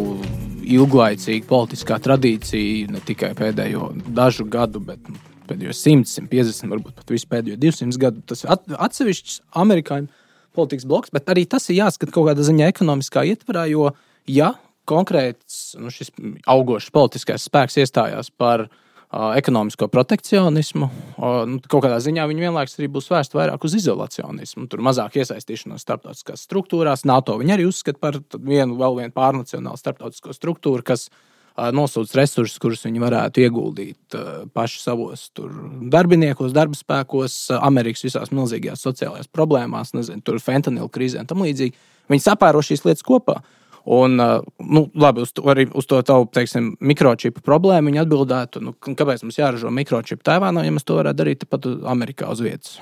ilglaicīga politiskā tradīcija, ne tikai pēdējo dažu gadu, bet pēdējo simt, simt piecdesmit, varbūt pat visu pēdējo divsimt gadu. Tas ir atsevišķs amerikāņu politikas bloks, bet arī tas ir jāskat kaut kādā ziņā ekonomiskā ietvarā, jo ja konkrēts nu, šis augošs politiskais spēks iestājās par uh, ekonomisko protekcionismu, uh, nu, kaut kādā ziņā viņi vienlaikus arī būs vērst vairāk uz izolacionismu. Tur mazāk iesaistīšanos starptautiskās struktūrās. NATO viņi arī uzskata par vienu, vēl vienu pārnacionālu starptautisko struktūru, kas uh, nosūc resursus, kurus viņi varētu ieguldīt uh, paši savos tur, darbiniekos, darbspēkos, uh, Amerikas visās milzīgajās sociālajās problēmās, nezinu, tur fentanilu krīzē un tam līdzīgi. Viņi sapēro šīs lietas kopā. Un, nu, labi, uz to, arī uz to tavu, teiksim, mikročipu problēmu viņi atbildētu, nu, kāpēc mums jāražo mikročipu Taivānā, ja mēs to varētu darīt pat Amerikā uz vietas.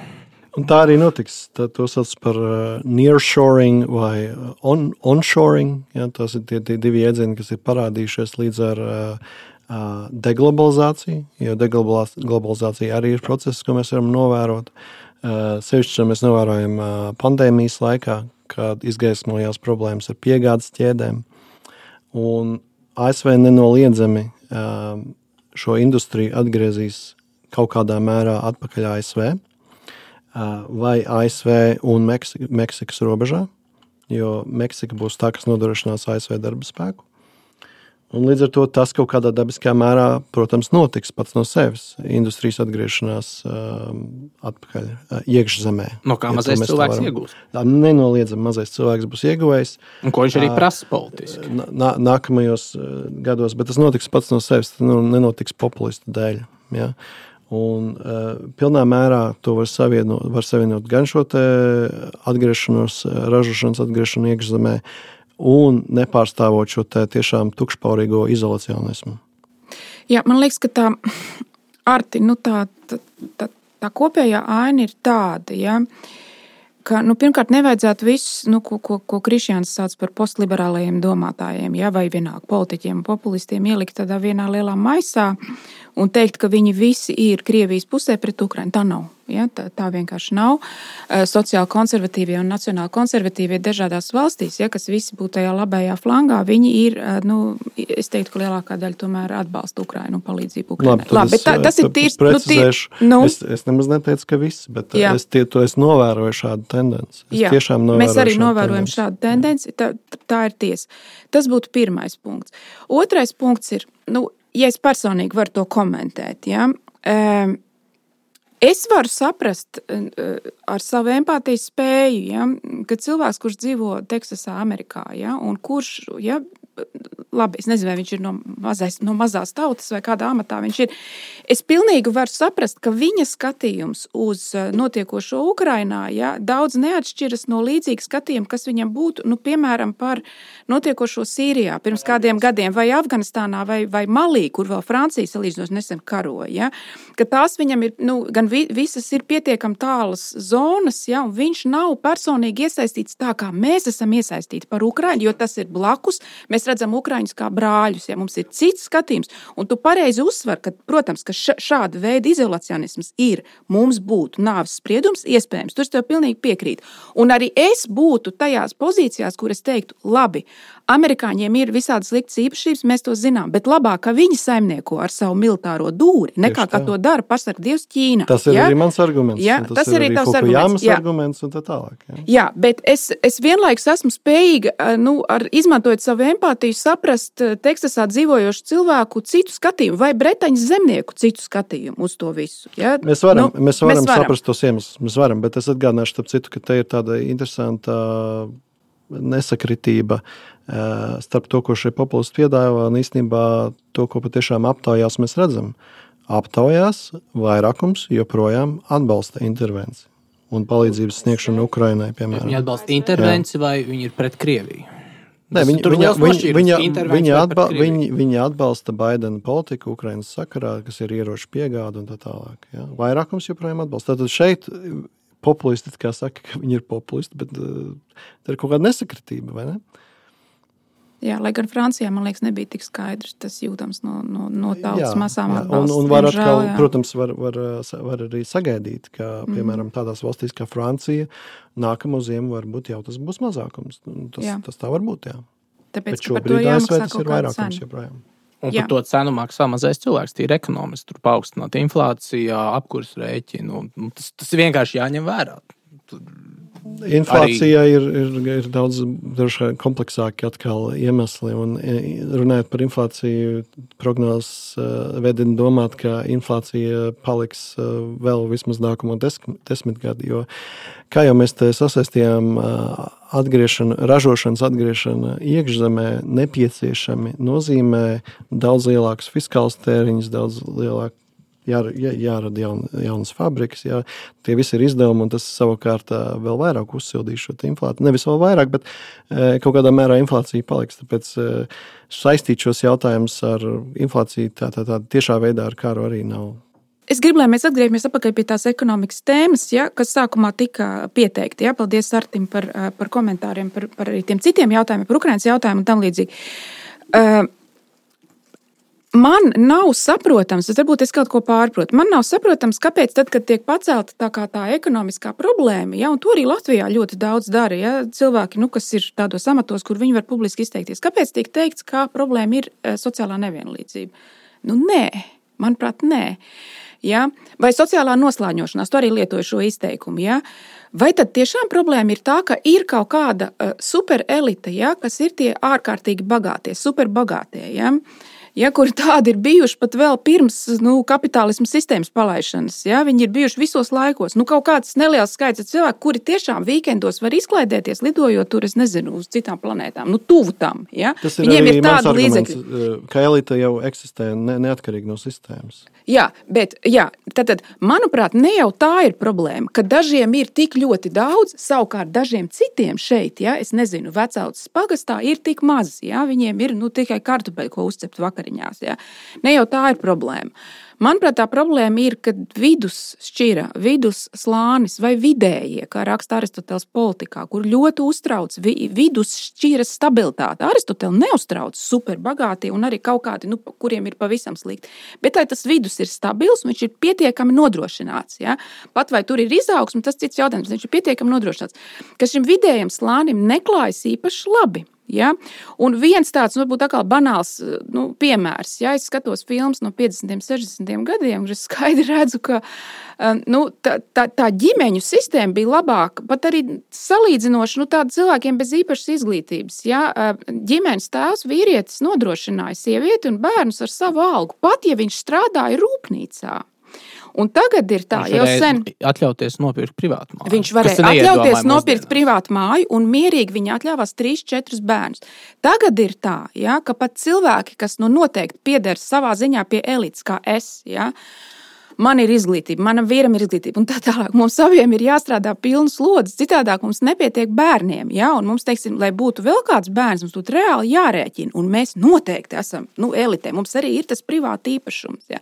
Un tā arī notiks. Tā, to sauc par uh, nearshoring vai on, onshoring. Ja, tās ir tie, tie divi jēdzieni, kas ir parādījušies līdz ar uh, uh, deglobalizāciju, jo deglobalizācija arī ir process, ko mēs varam novērot. Uh, sevišķi mēs novērojam uh, pandēmijas laikā, kad izgaismojās problēmas ar piegādes ķēdēm. Un A S V nenoliedzami um, šo industriju atgriezīs kaut kādā mērā atpakaļ A S V uh, vai A S V un Meksika, Meksikas robežā, jo Meksika būs tā, kas nodrošinās A S V darba spēku. Un līdz ar to tas kaut kādā dabiskā mērā, protams, notiks pats no sevis. Industrijas atgriešanās um, atpakaļ uh, iekšzemē. No kā ja mazais cilvēks iegūs? Nenoliedzami mazais cilvēks būs ieguvējis. Un ko viņš arī prasa politiski? Nā, nākamajos uh, gados, bet tas notiks pats no sevis, tas nu, nenotiks populistu dēļ. Ja? Un uh, pilnā mērā to var savienot, var savienot gan šo te atgriešanos, ražošanas atgriešanu iekšzemē, un nepārstāvot šo te tiešām tukšpaurīgo izolacionismu. Jā, man liekas, ka tā, Arti, nu tā, tā, tā, tā kopējā aina ir tāda, ja, ka, nu, pirmkārt, nevajadzētu visus, nu, ko, ko, ko Krišjāns sauc par postliberālajiem domātājiem, ja, vai vienalga politiķiem un populistiem ielikt tādā vienā lielā maisā un teikt, ka viņi visi ir Krievijas pusē pret Ukrainu. Tā nav. Ja, tā, tā vienkārši nav. Sociāli konservatīvie un nacionāli konservatīvie dažādās valstīs, ja, kas visi būtu tajā labajā flangā, viņi ir, nu, es teiktu, ka lielākā daļa tomēr atbalsta Ukrainu un palīdzību Ukrainai. Labi, Labi, bet tā, tas ir tīrs. Nu, tīr, nu, es, es nemaz neteicu, ka viss, bet jā. es tie, to es novēroju šādu tendenci. Es jā, tiešām novēroju mēs arī šādu novērojam tendenci. šādu tendenci. Tā, tā ir tiesa. Tas būtu pirmais punkts. Otrais punkts ir, nu, ja es personīgi varu to komentēt, ja, um, es varu saprast ar savu empātijas spēju, ja, ka cilvēks, kurš dzīvo Teksasā, Amerikā, ja, un kurš, ja, labi, es nezinu, vai viņš ir no, mazais, no mazās tautas vai kādā amatā viņš ir, es pilnīgi varu saprast, ka viņa skatījums uz notiekošo Ukrainā, ja, daudz neatšķiras no līdzīga skatījuma, kas viņam būtu, nu, piemēram, par notiekošo Sīrijā pirms kādiem gadiem, vai Afganistānā, vai, vai Malī, kur vēl Francija salīdzinot nesen karoja, ja, ka tās viņam ir, nu, gan vi, visas ir pietiekam tālas zonas, ja, un viņš nav personīgi iesaistīts tā, kā mēs esam iesaistīti par Ukrainu, jo tas ir blakus, mēs redzam Ukraiņus kā brāļus, ja mums ir cits skatījums, un tu pareizi uzsver, ka, protams, ka šāda veida izolacionisms ir, mums būtu nāves spriedums, iespējams, tur es tev pilnīgi piekrītu. Un arī es būtu tajās pozīcijās, kur es teiktu, labi, amerikāņiem ir visādas sliktas īpašības, mēs to zinām, bet labāk, ka viņi saimnieko ar savu militāro dūri, nekā kā to dara pasarg Dievs Ķīna. Tas ir ja? arī mans arguments. Ja? Tas, tas ir arī tavs arguments. Jā. arguments un tā tālāk. Ja? Jā, bet es, es vienlaikus esmu spējīga, nu, ar, izmantojot savu empātiju, saprast Teksasā dzīvojošu cilvēku citu skatījumu vai Bretaņas zemnieku citu skatījumu uz to visu. Ja? Mēs varam, nu, mēs varam mēs varam saprast tos iemeslus, mēs varam, bet es atgādināšu starp citu, ka te ir tāda interesanta nesakritība starp to, ko šie populisti piedāvā, un īstenībā to, ko patiešām aptaujās mēs redzam. Aptaujās vairākums joprojām atbalsta intervenciju un palīdzības sniegšanu Ukrainai, piemēram. Viņi atbalsta intervenciju vai viņi ir pret Krieviju? Nē, viņi, viņa, viņa, viņa, viņa, atba, viņi, viņi atbalsta Baidena politiku Ukrainas sakarā, kas ir ieroču piegāda un tā tālāk. Ja? Vairākums joprojām atbalsta. Tātad šeit populisti, kā saka, ka viņi ir populisti, bet uh, tā ir kaut kāda nesakritība, vai ne? Jā, lai gan Francijā, man liekas, nebija tik skaidrs, tas jūtams no, no, no tautas jā, masām jā. atbalsts. Un, un var atkal, jā. protams, var, var, var arī sagaidīt, ka, piemēram, tādās valstīs kā Francija, nākamo ziemu varbūt jau tas būs mazākums. Tas, tas tā var būt, jā. Tāpēc, bet šobrīd A S V tas ir vairākums joprojām. Un par to cenu maksā mazais cilvēks, tīri ekonomiski, tur paaugstināt inflācija, apkurs rēķinu, tas, tas vienkārši jāņem vērā. Tur inflācijā arī... ir, ir, ir daudz kompleksāki atkal iemesli, un runājot par inflāciju, prognozes vedina domāt, ka inflācija paliks vēl vismaz nākamo desmitgadi, jo kā jau mēs te sasaistījām, atgriešana, ražošanas atgriešana iekšzemē nepieciešami nozīmē daudz lielākus fiskālus tēriņus, daudz lielāku Jā, jā, jārada jaun, jaunas fabrikas, jā, tie visi ir izdevumi, un tas savukārt vēl vairāk uzsildīs šo inflāciju. Nevis vēl vairāk, bet e, kaut kādā mērā inflācija paliks, tāpēc e, saistīt šos jautājumus ar inflāciju tā, tā, tā tiešā veidā ar karu arī nav. Es gribu, lai mēs atgriežamies atpakaļ pie tās ekonomikas tēmas, ja, kas sākumā tika pieteikti. Ja. Paldies Artim par, par komentāriem, par, par arī tiem citiem jautājumiem, par Ukrainas jautājumu un tam līdzīgi. Uh, Man nav saprotams, es varbūt es kaut ko pārprotu, man nav saprotams, kāpēc tad, kad tiek pacelta tā kā tā ekonomiskā problēma, ja, un to arī Latvijā ļoti daudz dara, ja, cilvēki, nu, kas ir tādos amatos, kur viņi var publiski izteikties, kāpēc tiek teikts, kā problēma ir sociālā nevienlīdzība? Nu, nē, manuprāt, nē. Ja? Vai sociālā noslāņošanās, tu arī lietoji šo izteikumu, ja? Vai tad tiešām problēma ir tā, ka ir kaut kāda uh, superelite, ja, kas ir tie ārkārtīgi bagātie, superbagātie, ja? Ja, kuri tādi ir bijuši pat vēl pirms nu, kapitālismu sistēmas palaišanas. Ja, viņi ir bijuši visos laikos. Nu, kaut kāds neliels skaits cilvēku, kuri tiešām vīkendos var izklaidēties, lidojot tur, es nezinu, uz citām planētām. Nu, tuvu tam. Ja. Tas ir Viņiem arī ir mans arguments, ka elite jau eksistē ne, neatkarīgi no sistēmas. Jā, bet, jā, tātad, manuprāt, ne jau tā ir problēma, ka dažiem ir tik ļoti daudz, savukārt dažiem citiem šeit, ja, es nezinu, Vecautas pagastā ir tik maz, ja, viņiem ir, nu, tikai kartupeļu, ko uzcept vakariņās, ja. Ne jau tā ir problēma. Manuprāt, tā problēma ir, ka vidus šķira, vidus slānis vai vidējie, kā raksta Aristoteles politikā, kur ļoti uztrauc vi, vidus šķiras stabilitāte. Aristoteli neuztrauc superbagātie un arī kaut kādi, nu, kuriem ir pavisam slikti. Bet lai tas vidus ir stabils, viņš ir pietiekami nodrošināts. Ja? Pat vai tur ir izaugsme, tas cits jautājums, viņš ir pietiekami nodrošināts. Ka šim vidējam slānim neklājas īpaši labi. Ja? Un viens tāds, varbūt atkal banāls nu, piemērs, ja es skatos filmas no piecdesmitiem, sešdesmitiem gadiem, es skaidri redzu, ka nu, tā, tā, tā ģimeņu sistēma bija labāka, pat arī salīdzinoši nu, tāda cilvēkiem bez īpašas izglītības. Ja? Ģimenes tēvs, vīrietis nodrošināja sievieti un bērnus ar savu algu, pat ja viņš strādāja rūpnīcā. Un tagad ir tā, jau sen atļauties nopirkt privātu māju. Viņš varēja atļauties nopirkt privātu māju un mierīgi viņa atļāvās trīs, četrus bērnus. Tagad ir tā, ja, ka pat cilvēki, kas nu noteikti pieder savā ziņā pie elites, kā es, ja, man ir izglītība, manam vīram ir izglītība, un tā tālāk. Mums saviem ir jāstrādā pilnas lodzes, citādāk mums nepietiek bērniem, ja, un mums, teiksim, lai būtu vēl kāds bērns, mums būtu reāli jārēķina, un mēs noteikti esam, nu, elitē, mums arī ir tas privāti īpašums, ja.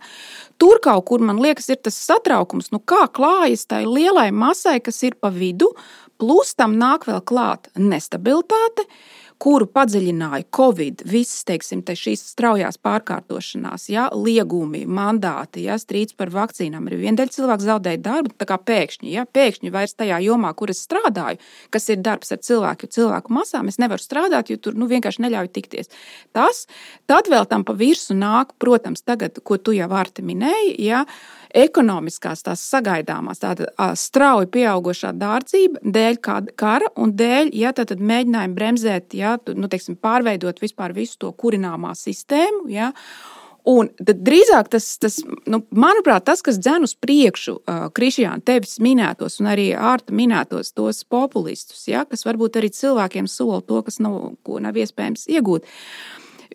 Tur kaut kur, man liekas, ir tas satraukums, nu, kā klājas tai lielai masai, kas ir pa vidu, plus tam nāk vēl klāt nestabilitāte, kuru padziļināja Covid, visas, teiksim, te šīs straujās pārkārtošanās, ja, liegumi, mandāti, ja, strīds par vakcīnām. Arī viena daļa cilvēku zaudēja darbu, tā kā pēkšņi, ja, pēkšņi vairs tajā jomā, kur es strādāju, kas ir darbs ar cilvēku, cilvēku masām, es nevaru strādāt, jo tur, nu, vienkārši neļauju tikties. Tas, tad vēl tam pa virsu nāk, protams, tagad, ko tu jau Arti minēji, ja, ekonomiskās tās sagaidāmās, tāda strauji pieaugošā dārdzība dēļ kara un dēļ, ja, tad mēģinājumi bremzēt, ja, nu, teiksim, pārveidot vispār visu to kurināmā sistēmu, ja, un tad drīzāk tas, tas nu, manuprāt, tas, kas dzen uz priekšu, uh, Krišjāna, tevis minētos un arī Ārta minētos tos populistus, ja, kas varbūt arī cilvēkiem sola to, kas nav, ko nav iespējams iegūt.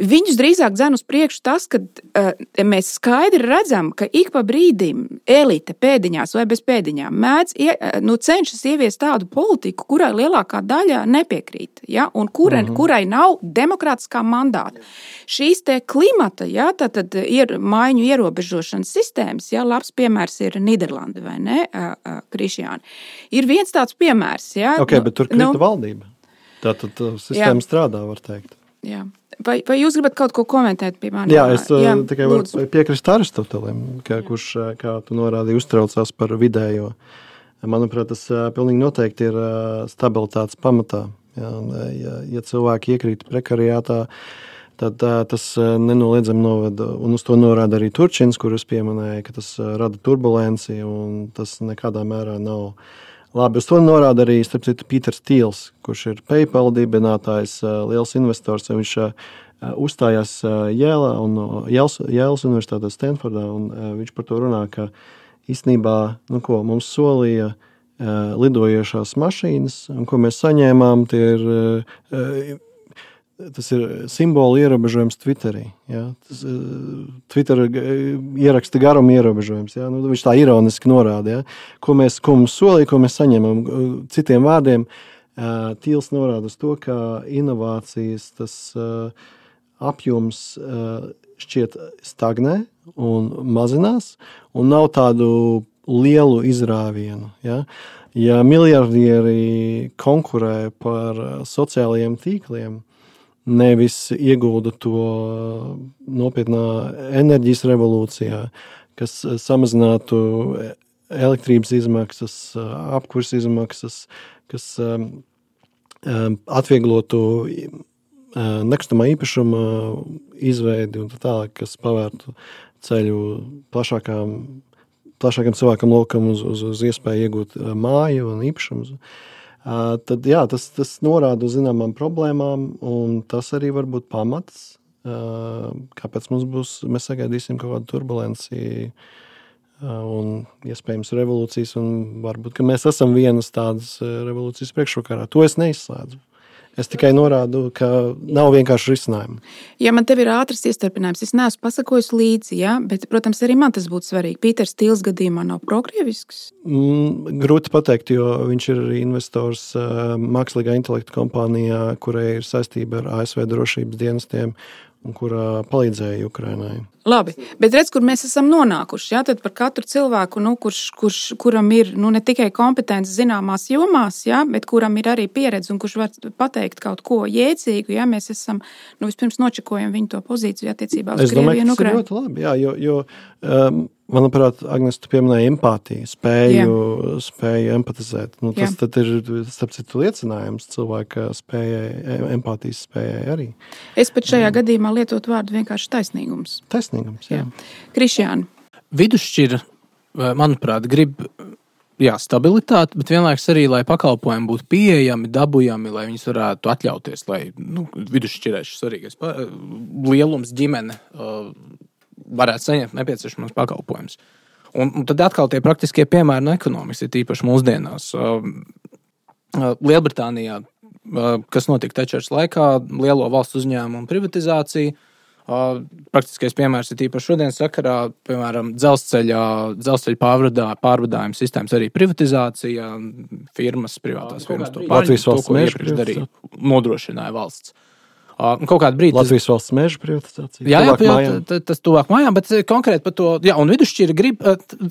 Viņus drīzāk dzen uz priekšu tas, ka uh, mēs skaidri redzam, ka ik pa brīdim elite pēdiņās vai bez pēdiņām mēdz, nu, cenšas ieviest tādu politiku, kurai lielākā daļa nepiekrīt, ja, un kurai, uh-huh. kurai nav demokrātiskā mandāta. Šīs te klimata, ja, tad, tad ir maiņu ierobežošanas sistēmas, ja, labs piemērs ir Nīderlanda, vai ne, uh, uh, Krišjāni. Ir viens tāds piemērs, ja. Ok, bet tur krita nu, valdība. Tātad tā sistēma jā. Strādā, var teikt. Jā. Vai, vai jūs gribat kaut ko komentēt pie maniem? Jā, es jā, tikai varu piekrist Aristotelim, ka, kurš, kā tu norādīji, uztraucās par vidējo. Manuprāt, tas pilnīgi noteikti ir stabilitātes pamatā. Ja, ja, ja cilvēki iekrīt prekariātā, tad tas nenoliedzami noveda, un uz to norāda arī Turčins, kurus pieminēja, ka tas rada turbulenci, un tas nekādā mērā nav labi. Uz to norāda arī, starp citu, Pīters Tīls, kurš ir PayPal dibinātājs, liels investors. Viņš uzstājās Jēlā un Jēlas, Jēlas universitātē Stanfordā, un viņš par to runā, ka īstenībā, nu ko, mums solīja lidojošās mašīnas, un ko mēs saņēmām, tie ir, tas ir simbolu ierobežojums Twitterī. Ja? Tas, Twitter ieraksta garuma ierobežojums. Ja? Nu, viņš tā ironiski norāda. Ja? Ko, mēs, ko mums solīja, ko mēs saņemam. Citiem vārdiem, Tīls norāda uz to, ka inovācijas tas apjoms šķiet stagnē un mazinās, un nav tādu lielu izrāvienu. Ja? Ja miljardieri konkurē par sociālajiem tīkliem, nevis iegulda to nopietnā enerģijas revolūcijā, kas samazinātu elektrības izmaksas, apkurs izmaksas, kas atvieglotu nekustamā īpašuma izveidi un tā tālāk, kas pavērtu ceļu plašākām, plašākam cilvēkam lokam uz, uz, uz iespēju iegūt māju un īpašumus. Uh, tad, jā, tas, tas norāda uz zināmām problēmām, un tas arī var būt pamats, uh, kāpēc mums būs, mēs sagaidīsim kaut kādu turbulenci uh, un iespējams revolūcijas, un varbūt, ka mēs esam vienas tādas revolūcijas priekšrokarā. To es neizslēdzu. Es tikai norādu, ka nav vienkārši risinājumu. Ja man tev ir ātrs iestarpinājums, es neesmu pasakojis līdzi, ja? Bet, protams, arī man tas būtu svarīgi. Pīters Tīls gadījumā nav prokrievisks? Mm, grūti pateikt, jo viņš ir arī investors uh, mākslīgā intelekta kompānijā, kurai ir saistība ar A S V drošības dienestiem, un kura palīdzēja Ukrainai. Labi, bet redz, kur mēs esam nonākuši. Jā, tad par katru cilvēku, nu, kurš, kurš, kuram ir nu, ne tikai kompetence zināmās jomās, jā, bet kuram ir arī pieredze un kurš var pateikt kaut ko jēdzīgu, jā, mēs esam, nu, vispirms nočekojam viņu to pozīciju attiecībā uz Krieviju un Ukrainu. Es domāju, ka tas ir ļoti labi, jā, jo, jo um, manuprāt, Agnes, tu pieminēji empātiju, spēju, jā. spēju empatizēt. Nu, tas jā. tad ir, starp citu, liecinājums cilvēka spējai, empātijas spējai arī. Es pat šajā jā. gadījumā lietot vārdu vienkārši taisnīgums. Taisnīgums, jā. jā. Krišjāni. Vidusšķira, manuprāt, grib jā, stabilitāti, bet vienlaikus arī, lai pakalpojumi būtu pieejami, dabujami, lai viņus varētu atļauties, lai nu, vidusšķirēši svarīgais lielums ģimene varētu saņemt nepieciešamos pakalpojumus. Un, un tad atkal tie praktiskie piemēri no ekonomikas, ir tīpaši mūsdienās. Lielbritānijā, kas notika Tečers laikā, lielo valsts uzņēmumu privatizācija, praktiskais piemērs ir tīpaši šodien sakarā, piemēram, dzelzceļa, dzelzceļa pārvadā, pārvadājuma sistēmas arī privatizācija, firmas, privātās firmas to pārņem, to, ko iepriekš darīja, nodrošināja valsts. Kaut kādu brīdi. Latvijas valsts meža privatizācija. Jā, jā, jā, tas tuvāk mājām, bet konkrēti par to, jā, un vidusšķira grib,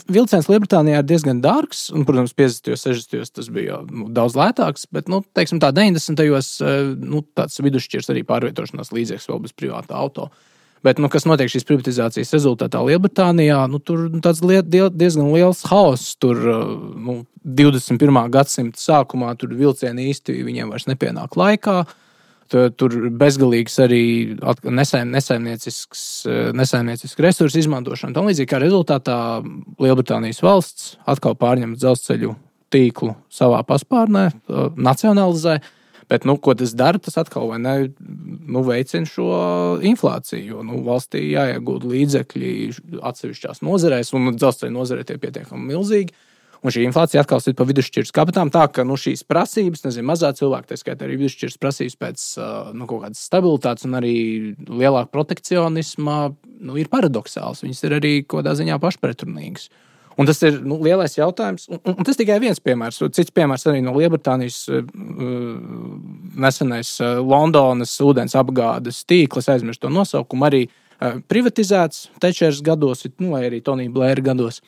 vilciens Lielbritānijā ir diezgan dārgs, un, protams, piecdesmitajos, sešdesmitajos tas bija nu, daudz lētāks, bet, nu, teiksim tā, deviņdesmitajos, nu, tāds vidusšķirs arī pārvietošanās līdzeklis vēl bez privātā auto. Bet, nu, kas notiek šīs privatizācijas rezultātā Lielbritānijā, nu, tur tāds diezgan liels haoss, tur, nu, divdesmit pirmā gadsimta sākumā tur vilcieni īsti viņiem vairs nepienāk laikā. Tur bezgalīgs arī nesaim, nesaimniecisks, nesaimniecisks resursu izmantošana. Tā līdzīgi kā rezultātā Lielbritānijas valsts atkal pārņem dzelzceļu tīklu savā paspārnē, nacionalizē, bet, nu, ko tas dara, tas atkal vai ne, nu, veicina šo inflāciju, jo, nu, valstī jāiegūda līdzekļi atsevišķās nozarēs, un dzelzceļa nozarē tie pietiekami milzīgi. Un šī inflācija atkal sit pa vidusšķiras kabatām, tā ka nu, šīs prasības, nezinu, mazā cilvēka, tā skaitā arī vidusšķiras prasības pēc nu, kaut kādas stabilitātes un arī lielāka protekcionisma, nu, ir paradoxāls. Viņas ir arī kaut kādā ziņā pašpretrunīgas. Un tas ir nu, lielais jautājums. Un, un tas tikai viens piemērs. Cits piemērs arī no Lielbritānijas uh, nesenais uh, Londonas ūdens apgādes tīkls, aizmirst to nosaukumu, arī uh, privatizēts Tečers gados, nu, vai arī Tonija Blēra gados.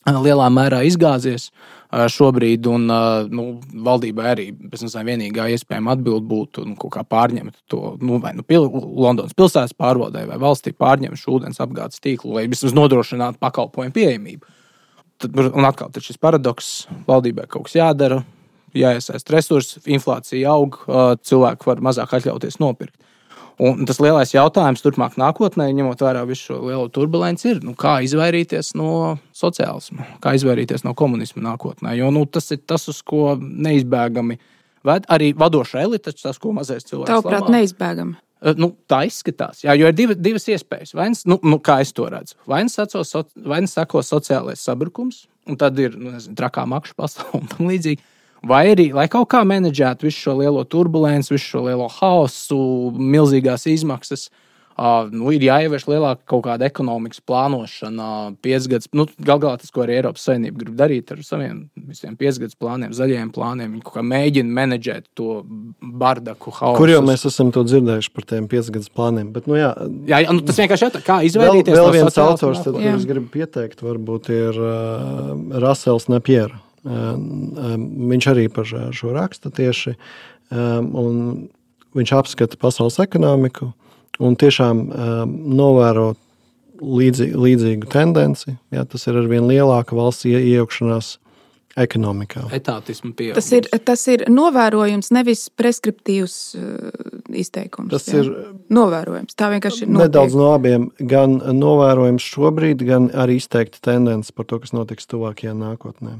Lielā mērā izgāzies šobrīd, un nu, valdībai arī pēc tam vienīgā iespējama atbild būtu nu, kaut kā pārņemt to, nu, vai nu pil, Londonas pilsētas pārvaldē vai valstī pārņemt šo ūdens apgādes tīklu, lai vismaz nodrošinātu pakalpojumu pieejamību. Tad, un atkal tad šis paradoks, valdībai kaut kas jādara, jāiesaist resursi, inflācija aug, cilvēki var mazāk atļauties nopirkt. Un tas lielais jautājums turpmāk nākotnē, ņemot vērā visu šo lielo turbulenci, ir, nu, kā izvairīties no sociālisma, kā izvairīties no komunisma nākotnē. Jo nu, tas ir tas, uz ko neizbēgami ved arī vadošā elite, tas, ko mazais cilvēks labā. Tavuprāt, neizbēgami? Nu, tā izskatās. Jā, jo ir div, divas iespējas. Vai nu, nu, kā es to redzu? Vai nu sako, vai nu sako sociālais sabrukums, un tad ir, nu, nezinu, trakā makšu pasaule un tam līdzīgi. Vai arī, lai kaut kā menedžētu visu šo lielo turbulenci, visu šo lielo haosu, milzīgās izmaksas, uh, nu, ir jāievieš lielāka kaut kāda ekonomikas plānošana, piecgads, nu, gal galā tas, ko arī Eiropas Savienība grib darīt ar saviem visiem piecgads plāniem, zaļajiem plāniem, viņi kaut kā mēģina menedžēt to bardaku, haosu. Kur jau mēs esam to dzirdējuši par tiem piecgads plāniem, bet, nu jā. Jā, jā nu, tas vienkārši jāt, kā izvairīties vēl, vēl no viens autors, tad, ko es gribu pieteikt, varbūt ir uh, Rasels Napiera. Viņš arī par šo raksta tieši, un viņš apskata pasaules ekonomiku un tiešām novēro līdzi, līdzīgu tendenci. Jā, tas ir arvien lielāka valsts iejaukšanās ekonomikā. Etātismu pieaugums. Tas ir, tas ir novērojums, nevis preskriptīvs uh, izteikums. Tas jā? ir novērojums. Tā vienkārši ir notiek. Nedaudz no abiem, gan novērojums šobrīd, gan arī izteikta tendence par to, kas notiks tuvākajā nākotnē.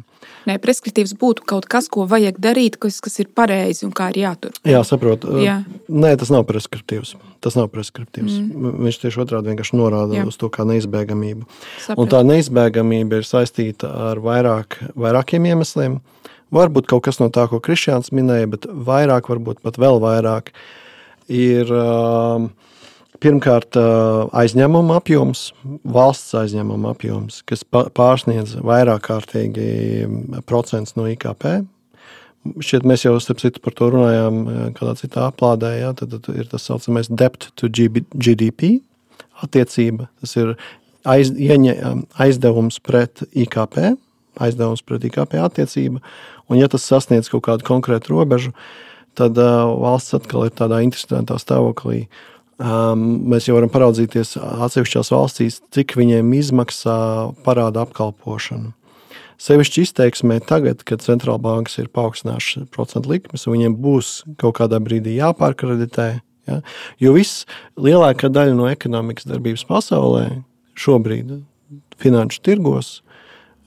Nē, preskriptīvs būtu kaut kas, ko vajag darīt, kas, kas ir pareizi un kā ir jātur. Jā, saprotu. Jā. Nē, tas nav preskriptīvs. Tas nav preskriptīvs. Mm. Viņš tieši otrādi vienkārši norāda jā. Uz to kā neizbēgamību. Sapratu. Un tā neizbēgamība ir saistīta ar vairāk, vairākiem iemesliem. Varbūt kaut kas no tā, ko Krišjāns minēja, bet vairāk, varbūt pat vēl vairāk, ir uh, pirmkārt uh, aizņēmuma apjoms, valsts aizņēmuma apjoms, kas pārsniedz vairāk kārtīgi procents no I K P. šķiet, mēs jau starp citu par to runājām kādā citā aplādē, ja, tad, tad ir tas saucamais debt to G D P attiecība. Tas ir aiz, ieņa, aizdevums pret I K P, aizdevums pret I K P attiecība, un ja tas sasniedz kaut kādu konkrētu robežu, tad uh, valsts atkal ir tādā interesantā stāvoklī. Um, mēs jau varam paraudzīties atsevišķās valstīs, cik viņiem izmaksā parāda apkalpošanu. Sevišķi izteiksmē tagad, kad centrāla bankas ir paaugstinājušas procentu likmes, un viņiem būs kaut kādā brīdī jāpārkreditē. Ja? Jo viss lielākā daļa no ekonomikas darbības pasaulē šobrīd finanšu tirgos,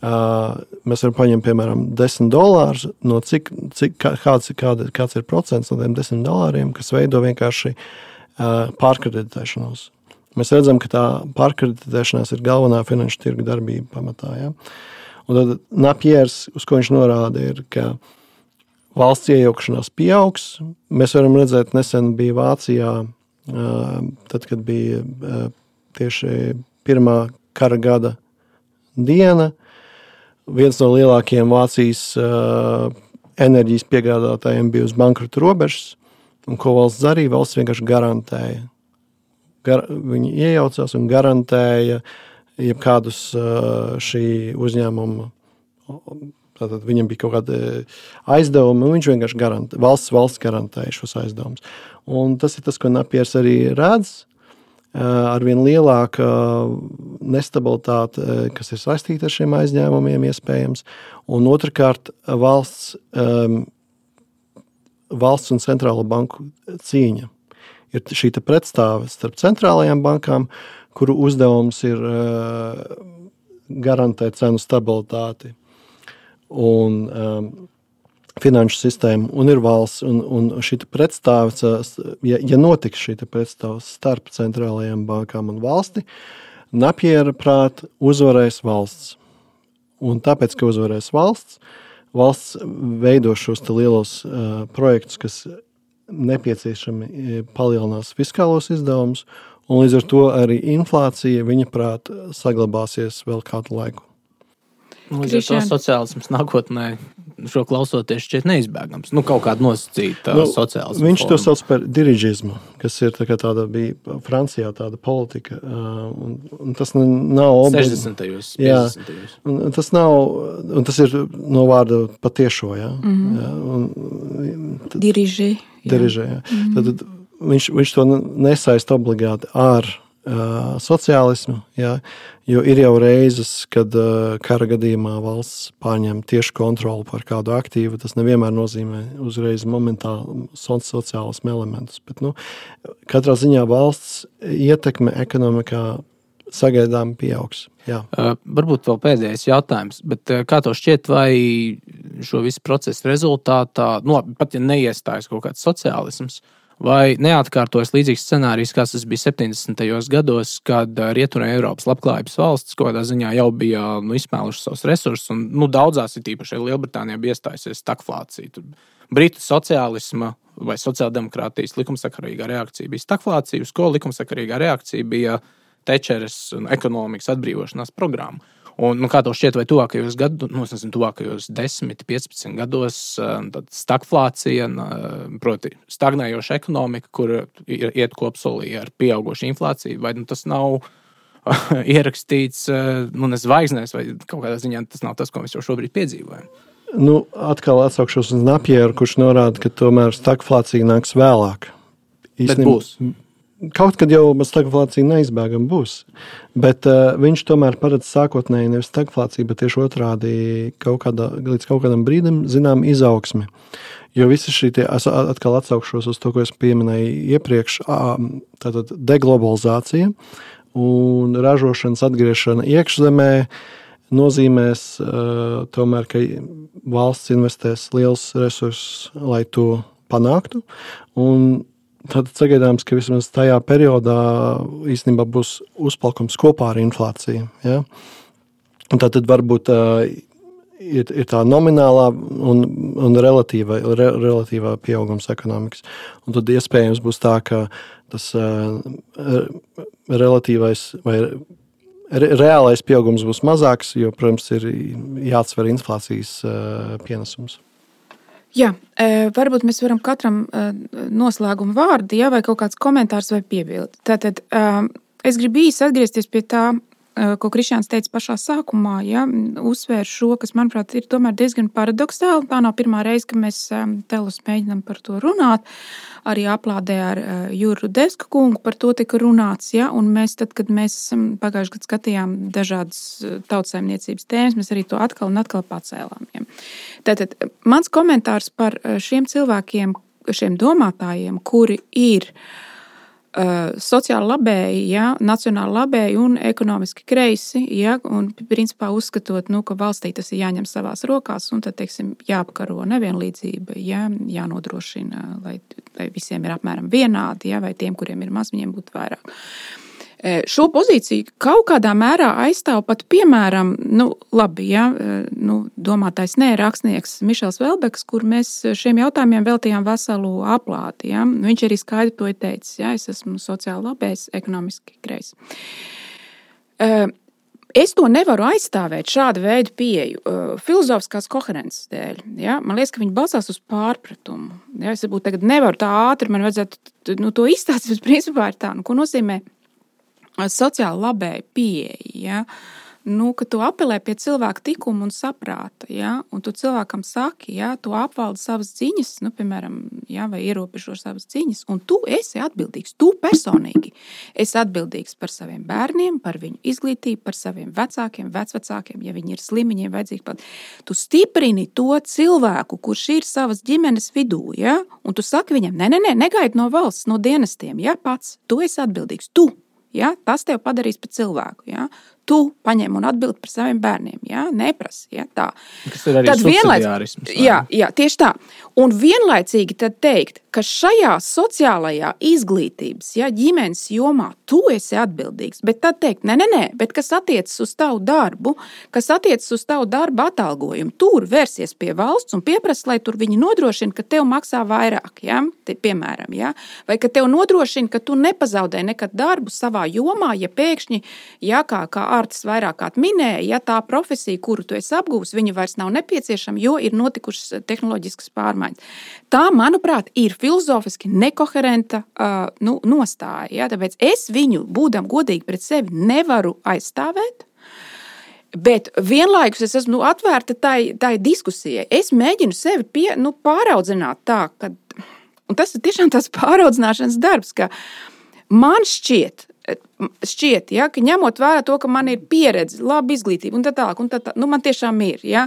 uh, mēs varam paņemt, piemēram, desmit dolārus, no cik, cik, kāds, kāda, kāds ir procents no tiem desmit dolāriem, kas veido vienkārši uh, pārkreditēšanos. Mēs redzam, ka tā pārkreditēšanās ir galvenā finanšu tirgu darbība pamatā. Ja? Un tad Napjērs, uz ko viņš norāda, ir, ka valsts iejaukšanās pieaugs. Mēs varam redzēt, nesen bija Vācijā, tad, kad bija tieši pirmā kara gada diena. Viens no lielākajiem Vācijas enerģijas piegādātājiem bija uz bankrotu robežas, un ko valsts darīja, valsts vienkārši garantēja. Gar, viņi iejaucās un garantēja jebkādus šī uzņēmuma, tātad viņam bija kaut kāda aizdevuma, un viņš vienkārši garantē, valsts, valsts garantēja šos aizdevumus. Un tas ir tas, ko Napjērs arī redz, arvien lielāka nestabilitāte, kas ir saistīta ar šiem aizņēmumiem iespējams, un otrkārt valsts, valsts un centrālo banku cīņa. Ir šī pretstāve starp centrālajām bankām, kuru uzdevums ir uh, garantēt cenu stabilitāti un um, finanšu sistēmu, un ir valsts, un, un šī pretstāve, ja, ja notiks šī pretstāve starp centrālajām bankām un valsti, Napjēra prāt uzvarēs valsts. Un tāpēc, ka uzvarēs valsts, valsts veido šos te lielos uh, projektus, kas nepieciešami palielinās fiskālos izdevumus, un līdz ar to arī inflācija, viņa prāt, saglabāsies vēl kādu laiku. Līdz ar to sociālisms nākotnē šo klausoties šķiet neizbēgams. Nu, kaut kāda nosacīta nu, sociālisma viņš forma. To sauc par diriģismu, kas ir tā kā tāda bija Francijā tāda politika. Un, un tas nav obli... sešdesmitajos, piecdesmitajos. Jā, un tas nav, un tas ir no vārda patiešo, jā. Mm-hmm. jā un, tad, Diriži. Diriži, jā. Mm-hmm. Tad, tad viņš, viņš to nesaist obligāti ar uh, sociālismu, jā, jo ir jau reizes, kad uh, kara gadījumā valsts pārņem tieši kontroli par kādu aktīvu, tas nevienmēr nozīmē uzreiz momentāli sociālismu elementus, bet, nu, katrā ziņā valsts ietekme ekonomikā sagaidām pieaugs. Jā. Uh, varbūt vēl pēdējais jautājums, bet uh, kā to šķiet, vai šo visu procesu rezultātā, nu, pat ja neiestājas kaut kāds sociālisms, vai neatkārtojas līdzīgs scenārijs, kas tas bija septiņdesmitajos gados, kad Rietumē Eiropas labklājības valsts kaut kādā ziņā jau bija nu, izsmēlušas savus resursus, un nu, daudzās ir tīpaši Lielbritānijā bija iestājusies stagflācija. Tur Britu sociālisma vai sociāldemokrātijas likumsakarīgā reakcija bija stagflācija, uz ko likumsakarīgā reakcija bija Tečeres ekonomikas atbrīvošanās programma. Un, nu, kā to šķiet, vai tuvākajos gados, nu, es nezinu, tuvākajos desmit, piecpadsmit gados, tad stagflācija, proti stagnējoša ekonomika, kur iet kopsolī ar pieaugošu inflāciju, vai nu, tas nav ierakstīts, nu, ne zvaigznēs, vai kaut kādā ziņā tas nav tas, ko mēs jau šobrīd piedzīvojam? Nu, atkal atsaukšos uz Napjēru, kurš norāda, ka tomēr stagflācija nāks vēlāk. Bet būs. Kaut kad jau stagflācija neizbēgam būs, bet uh, viņš tomēr paredz sākotnēji nevis stagflāciju, bet tieši otrādi kaut kādā, līdz kaut kādam brīdim zinām izaugsmi. Jo visi šī tie, es atkal atsaukšos uz to, ko es pieminēju iepriekš, tātad deglobalizācija un ražošanas atgriešana iekšzemē nozīmēs uh, tomēr, ka valsts investēs liels resursus, lai to panāktu, un tad sagaidāms, ka vismaz tajā periodā īstenībā būs uzplaukums kopā ar inflāciju. Ja? Un tad varbūt uh, ir, ir tā nominālā un, un relatīva, re, relatīvā pieaugums ekonomikas. Un tad iespējams būs tā, ka tas uh, relatīvais vai re, reālais pieaugums būs mazāks, jo, protams, ir jāatsver inflācijas uh, pienesums. Jā, varbūt mēs varam katram noslēguma vārdu, ja, vai kaut kāds komentārs vai piebildi. Tātad es gribu īsi atgriezties pie tā, ko Krišjāns teica pašā sākumā, ja, uzsvēr šo, kas, manuprāt, ir tomēr diezgan paradoxāli. Tā nav pirmā reize, ka mēs telus mēģinām par to runāt. Arī aplādē ar Juru Rudevska kungu par to tika runāts, ja, un mēs tad, kad mēs pagājuši gadu skatījām dažādas tautsaimniecības tēmas, mēs arī to atkal un atkal pacēlām. Ja. Tātad mans komentārs par šiem cilvēkiem, šiem domātājiem, kuri ir Uh, sociāli labēji, ja, nacionāli labēji un ekonomiski kreisi, ja, un principā uzskatot, nu, ka valstī tas ir jāņem savās rokās un tad, teiksim, jāapkaro nevienlīdzība, ja, jānodrošina, lai, lai visiem ir apmēram vienādi, ja, vai tiem, kuriem ir maz, viņiem būtu vairāk. Šo pozīciju kaut kādā mērā aizstāv pat, piemēram, nu, labi, ja, nu, domātais nē, rakstnieks Mišels Velbeks, kur mēs šiem jautājumiem veltījām veselu aplāti. Ja. Viņš arī skaidri to ir teicis, ja, es esmu sociāli labējs, ekonomiski kreis. Es to nevaru aizstāvēt šādu veidu pieeju filozofiskās koherences dēļ. Ja. Man liekas, ka viņi balstās uz pārpratumu. Ja. Es varbūt tagad nevaru tā ātri, man vajadzētu nu, to izstāstīt, bet principā ir tā, nu, ko nozīmē sociāli labēji pieeja, ja? Nu, ka tu apelē pie cilvēka tikuma un saprāta, ja? Un tu cilvēkam saki, ja? Tu apvaldi savas ziņas, nu, piemēram, ja? Vai ierobežo savas ziņas, un tu esi atbildīgs, tu personīgi esi atbildīgs par saviem bērniem, par viņu izglītību, par saviem vecākiem, vecvecākiem, ja viņi ir slimi, viņiem vajadzīgi pat. Tu stiprini to cilvēku, kurš ir savas ģimenes vidū, ja? Un tu saki viņam, ne, ne, ne, negaidi no valsts, no dienestiem, ja? Pats, tu esi atbildīgs, tu. Ja? Tas tev padarīs par cilvēku. Ja? Tu paņem un atbildi par saviem bērniem. Ja? Neprasi. Ja? Tā. Tas ir arī subsidiārisms. Jā, jā, tieši tā. Un vienlaicīgi tad teikt, ka šajā sociālajā izglītības, ja, ģimenes jomā tu esi atbildīgs, bet tad teikt, ne, ne, ne, bet kas attiecas uz tavu darbu, kas attiecas uz tavu darba atalgojumu, tur vērsies pie valsts un pieprasa, lai tur viņi nodrošina, ka tev maksā vairāk, ja, te, piemēram, ja, vai ka tev nodrošina, ka tu nepazaudē nekad darbu savā jomā, ja pēkšņi, ja, kā, kā Ārtis vairāk kārt minēja, ja tā profesija, kuru tu esi apgūs, viņa vairs nav nepieciešama, jo ir notikušas tehnoloģiskas pārmaiņas. Tā, manuprāt, ir filozofiski nekoherenta uh, nu, nostāja. Ja? Tāpēc es viņu, būdam godīgi pret sevi, nevaru aizstāvēt, bet vienlaikus es esmu nu, atvērta tai, tai diskusijai. Es mēģinu sevi pie, nu, pāraudzināt tā, ka, un tas ir tiešām tās pāraudzināšanas darbs, ka man šķiet, šķiet, ja, ka ņemot vērā to, ka man ir pieredze, laba izglītība un tā tālāk, un tā tālāk, nu, man tiešām ir, ja,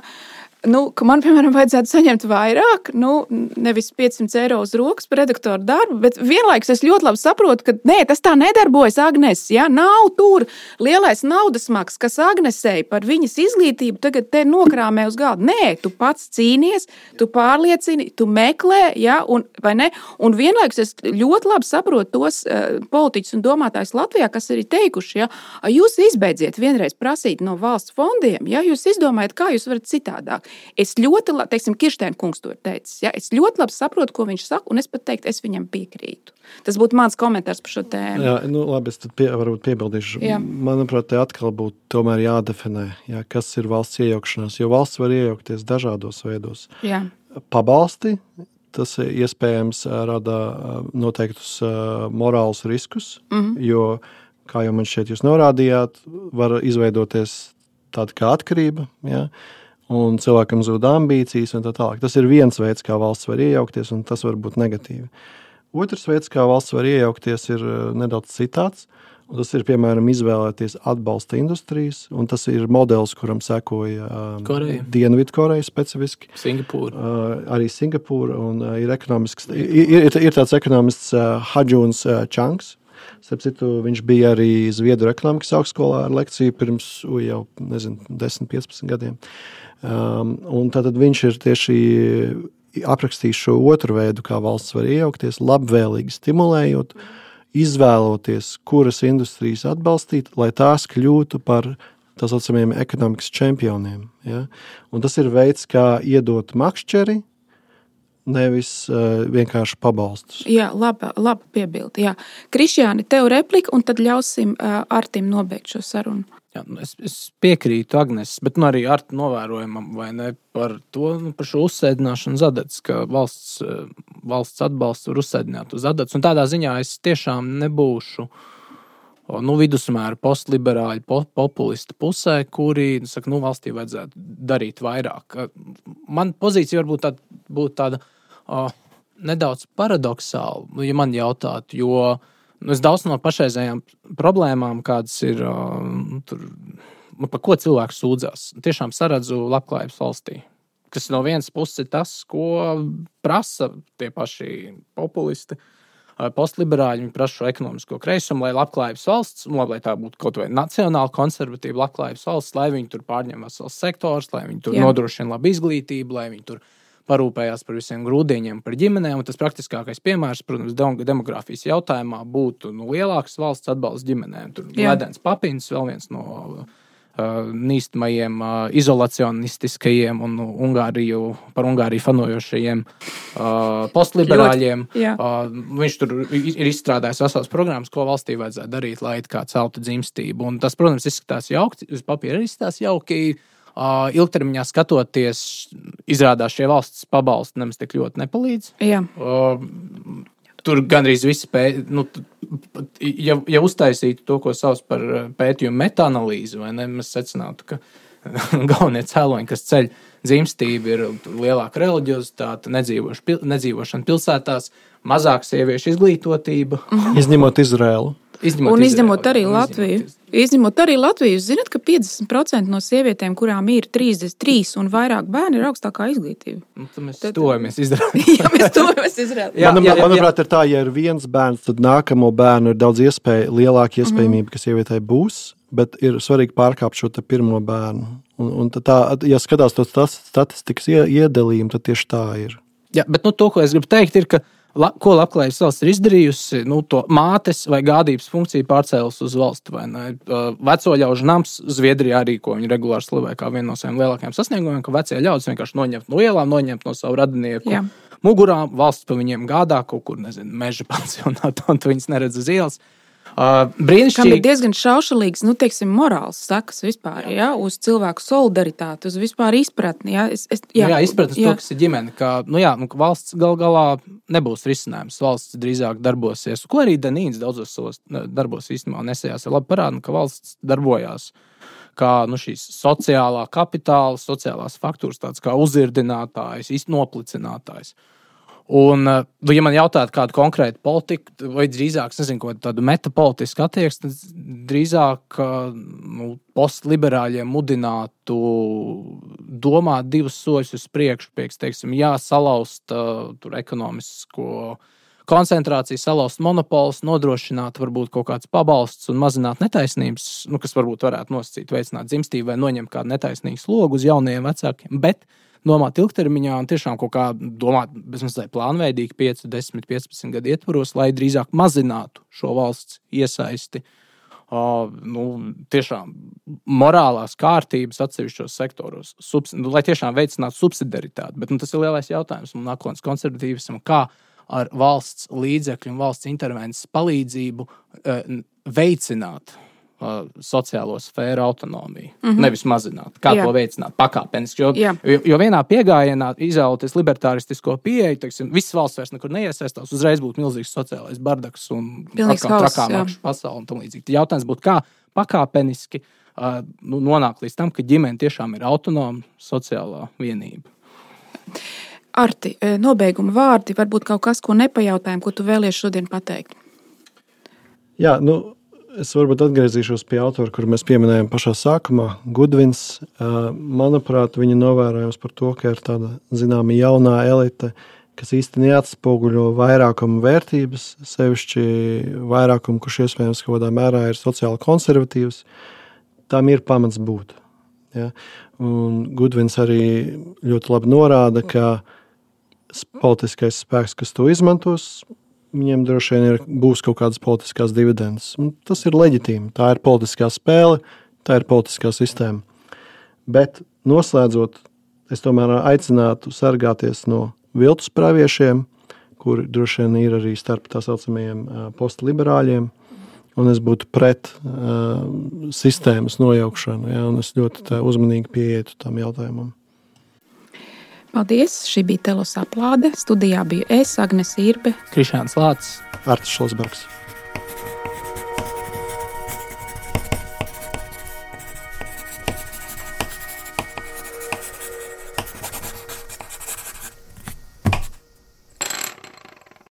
nu, ka man, piemēram, vajadzētu saņemt vairāk, nu, nevis piecsimt eiro uz rokas par redaktoru darbu, bet vienlaikus es ļoti labi saprotu, ka nē, tas tā nedarbojas Agnes, ja, nav tur lielais naudas maks, kas Agnesei par viņas izglītību tagad te nokrāmē uz galdu. Nē, tu pats cīnies, tu pārliecini, tu meklē, ja, un, vai ne, un vienlaikus es ļoti labi saprotu tos uh, politiķus un domātājus Latvijā, kas arī teikuši, ja, jūs izbeidziet vienreiz prasīt no valsts fondiem, ja, jūs izdomājat, kā jūs varat citādāk. Es ļoti labi, teiksim, Kirštēna kungs to ir teicis, ja? Es ļoti labi saprotu, ko viņš saka, un es pat teiktu, es viņam piekrītu. Tas būtu mans komentārs par šo tēmu. Jā, nu labi, es tad pie, varbūt piebildīšu. Jā. Manuprāt, te atkal būtu tomēr jādefinē, jā, kas ir valsts iejaukšanās, jo valsts var iejaukties dažādos veidos. Jā. Pabalsti, tas iespējams rada noteiktus morālus riskus, mm-hmm. jo, kā jau man šeit jūs norādījāt, var izveidoties tāda kā atkarība, jā, un cilvēkam zūd ambīcijas un tā tālāk. Tas ir viens veids, kā valsts var iejaukties, un tas var būt negatīvi. Otrs veids, kā valsts var iejaukties, ir nedaudz citāds, un tas ir, piemēram, izvēlēties atbalsta industrijas, un tas ir modelis, kuram sekoja um, Dienvidkoreja specifiski. Singapūra. Uh, arī Singapūra, un uh, ir ekonomisks, ir, ir, ir tāds ekonomists uh, Hadžūns uh, Čangs. Starp citu, viņš bija arī Zviedru ekonomikas augstskolā ar lekciju pirms u, jau, nezinu, desmit, piecpadsmit gadiem. Um, un tātad viņš ir tieši aprakstījis šo otru veidu, kā valsts var iejaukties, labvēlīgi stimulējot, izvēloties, kuras industrijas atbalstīt, lai tās kļūtu par tā saucamiem ekonomikas čempioniem. Ja? Un tas ir veids, kā iedot makšķeri nevis uh, vienkārši pabalstus. Jā, laba, laba piebilde. Jā. Krišjāni, tev replika, un tad ļausim uh, Artim nobeigt šo sarunu. Jā, es, es piekrītu Agnes, bet nu, arī Arta novērojumam vai ne par to, nu, par šo uzsēdināšanu uz adatas, ka valsts, valsts atbalsts var uzsēdināt uz adatas. Un tādā ziņā es tiešām nebūšu nu, vidusmēra postliberāļu po, populistu pusē, kuri saka, nu, valstī vajadzētu darīt vairāk. Man pozīcija varbūt tāda, būtu tāda o, nedaudz paradoxāla, ja man jautātu, jo es daudz no pašreizējām problēmām, kādas ir, uh, tur, par ko cilvēks sūdzās, tiešām saredzu labklājības valstī. Kas no vienas puses ir tas, ko prasa tie paši populisti, uh, postliberāļi, viņi prasa šo ekonomisko kreisumu, lai labklājības valsts, lai tā būtu kaut vai nacionāli konservatīva labklājības valsts, lai viņi tur pārņem vesels sektors, lai viņi tur Jā. Nodrošina labu izglītību, lai viņi tur parūpējās par visiem grūdiņiem, par ģimenēm, un tas praktiskākais piemērs, protams, demogrāfijas jautājumā būtu nu, lielāks valsts atbalsts ģimenēm. Tur Ledens Papins, vēl viens no uh, nīstamajiem uh, izolacionistiskajiem un uh, Ungāriju, par Ungāriju fanojošajiem uh, postliberāļiem. Uh, viņš tur ir izstrādājis vesels programmas, ko valstī vajadzētu darīt, lai kā celtu dzimstību. Un tas, protams, izskatās jauki, uz papīra izskatās jauki, Uh, ilgtermiņā skatoties, izrādās šie valsts pabalsti nemaz tik ļoti nepalīdz. Jā. Uh, tur gandrīz visi pē, nu, ja, ja uztaisītu to, ko sauc par pētījumu metaanalīzi, vai ne, mēs secinātu, ka galvenie cēloņi, kas ceļ dzimstību, ir lielāka reliģiozitāte, nedzīvošana pilsētās, mazāk sieviešu izglītotība. Mhm. Izņemot Izraēlu. Izņemot un izņemot Izraēlu, arī Latviju. Izņemot arī Latviju, jūs zināt, ka piecdesmit procenti no sievietēm, kurām ir trīsdesmit trīs un vairāk bērni, ir augstākā izglītība. Nu, tad mēs tuvojamies Izraēlu. Jā, mēs tuvojamies Izraēlu. Jā, Manam, jā, jā, manuprāt, ir tā, ja ir viens bērns, tad nākamo bērnu ir daudz iespēja, lielāka iespējamība, mm-hmm. ka sievietei būs, bet ir svarīgi pārkāpt šo te pirmo bērnu. Un, un tā, ja skatās to statistikas iedalījumu, tad tieši tā ir. Jā, bet nu, to, ko es gribu teikt, ir, ka La, ko labklājības valsts ir izdarījusi, nu, to mātes vai gādības funkciju pārcēlus uz valsti. Vai ne? Veco ļaužu nams Zviedrijā arī, ko viņi regulāri slavē kā vienu no saviem lielākajiem sasniegumiem, ka vecie ļaudis vienkārši noņemt no ielām, noņemt no savu radinieku Jā. Mugurām, valsts pa viņiem gādā kaut kur, nezinu, meža pansionātā, un tu viņus neredz uz ielas. Uh, brīnišķīgi. Kam ir diezgan šaušalīgs, nu, teiksim, morāls sakas vispār, jā, uz cilvēku solidaritāti, uz vispār izpratni, jā. Es, es, jā, jā, izpratni to, kas ir ģimene, ka, nu jā, nu, valsts gal galā nebūs risinājums, valsts drīzāk darbosies, ko arī Danīns daudzos savos darbos īstenībā nesējās, ir labi parāda, ka valsts darbojās kā, nu, šīs sociālā kapitāla, sociālās faktūras, tāds kā uzirdinātājs, noplicinātājs. Un, ja man jautātu kādu konkrētu politiku, vai drīzāk, es nezinu, ko tādu metapolitisku attieksmi, drīzāk nu, postliberāļiem mudinātu domāt divus soļus uz priekšu, pieks, teiksim, jā, salauzt uh, tur ekonomisko koncentrāciju, salauzt monopols, nodrošināt varbūt kaut kāds pabalsts un mazināt netaisnības, nu, kas varbūt varētu nosacīt, veicināt dzimstību vai noņemt kādu netaisnīgu slogu uz jaunajiem vecākiem, bet domāt ilgtermiņā un tiešām kaut kā domāt bezmazliet plānveidīgi pieci, desmit, piecpadsmit gadu ietvaros, lai drīzāk mazinātu šo valsts iesaisti, uh, nu, tiešām morālās kārtības atsevišķos sektoros, subs, nu, lai tiešām veicinātu subsidiaritāti. Bet nu, tas ir lielais jautājums un nākotnes konservatīvisam, kā ar valsts līdzekļu un valsts intervences palīdzību uh, veicināt sociālo sfēru autonomiju, mm-hmm. nevis mazināt. Kā Jā. To veicināt? Pakāpeniski. Jo, jo, jo vienā piegājienā izvēloties libertāristisko pieeju, teiksim, visas valsts vairs nekur neiesaistās, uzreiz būtu milzīgs sociālais bardaks un trakā makšu pasauli un tam līdzīgi. Jautājums būtu, kā pakāpeniski uh, nu, nonākt līdz tam, ka ģimene tiešām ir autonoma sociālā vienība. Arti, nobeiguma vārdi, varbūt kaut kas, ko nepajautājam, ko tu vēlies šodien pateikt? Jā, nu, es varbūt atgriezīšos pie autora, kuru mēs pieminējām pašā sākumā, Gudvins. Manuprāt, viņa novērojams par to, ka ir tāda, zināma, jaunā elite, kas īsti neatspoguļo vairākumu vērtības, sevišķi vairākumu, kurš iespējams kaut kādā mērā ir sociāli konservatīvs, tam ir pamats būt. Ja? Un Gudvins arī ļoti labi norāda, ka politiskais spēks, kas to izmantos, viņiem droši vien ir, būs kaut kādas politiskās dividendes. Un tas ir leģitīmi. Tā ir politiskā spēle, tā ir politiskā sistēma. Bet noslēdzot, es tomēr aicinātu sargāties no viltus praviešiem, kuri droši vien ir arī starp tā saucamajiem uh, postliberāļiem, un es būtu pret uh, sistēmas nojaukšanu, ja, un es ļoti tā uzmanīgi pieietu tam jautājumam. Paldies! Šī bija Telos Aplāde. Studijā biju es, Agnes Irbe, Krišjāns Lācis, Artis Šlosbergs.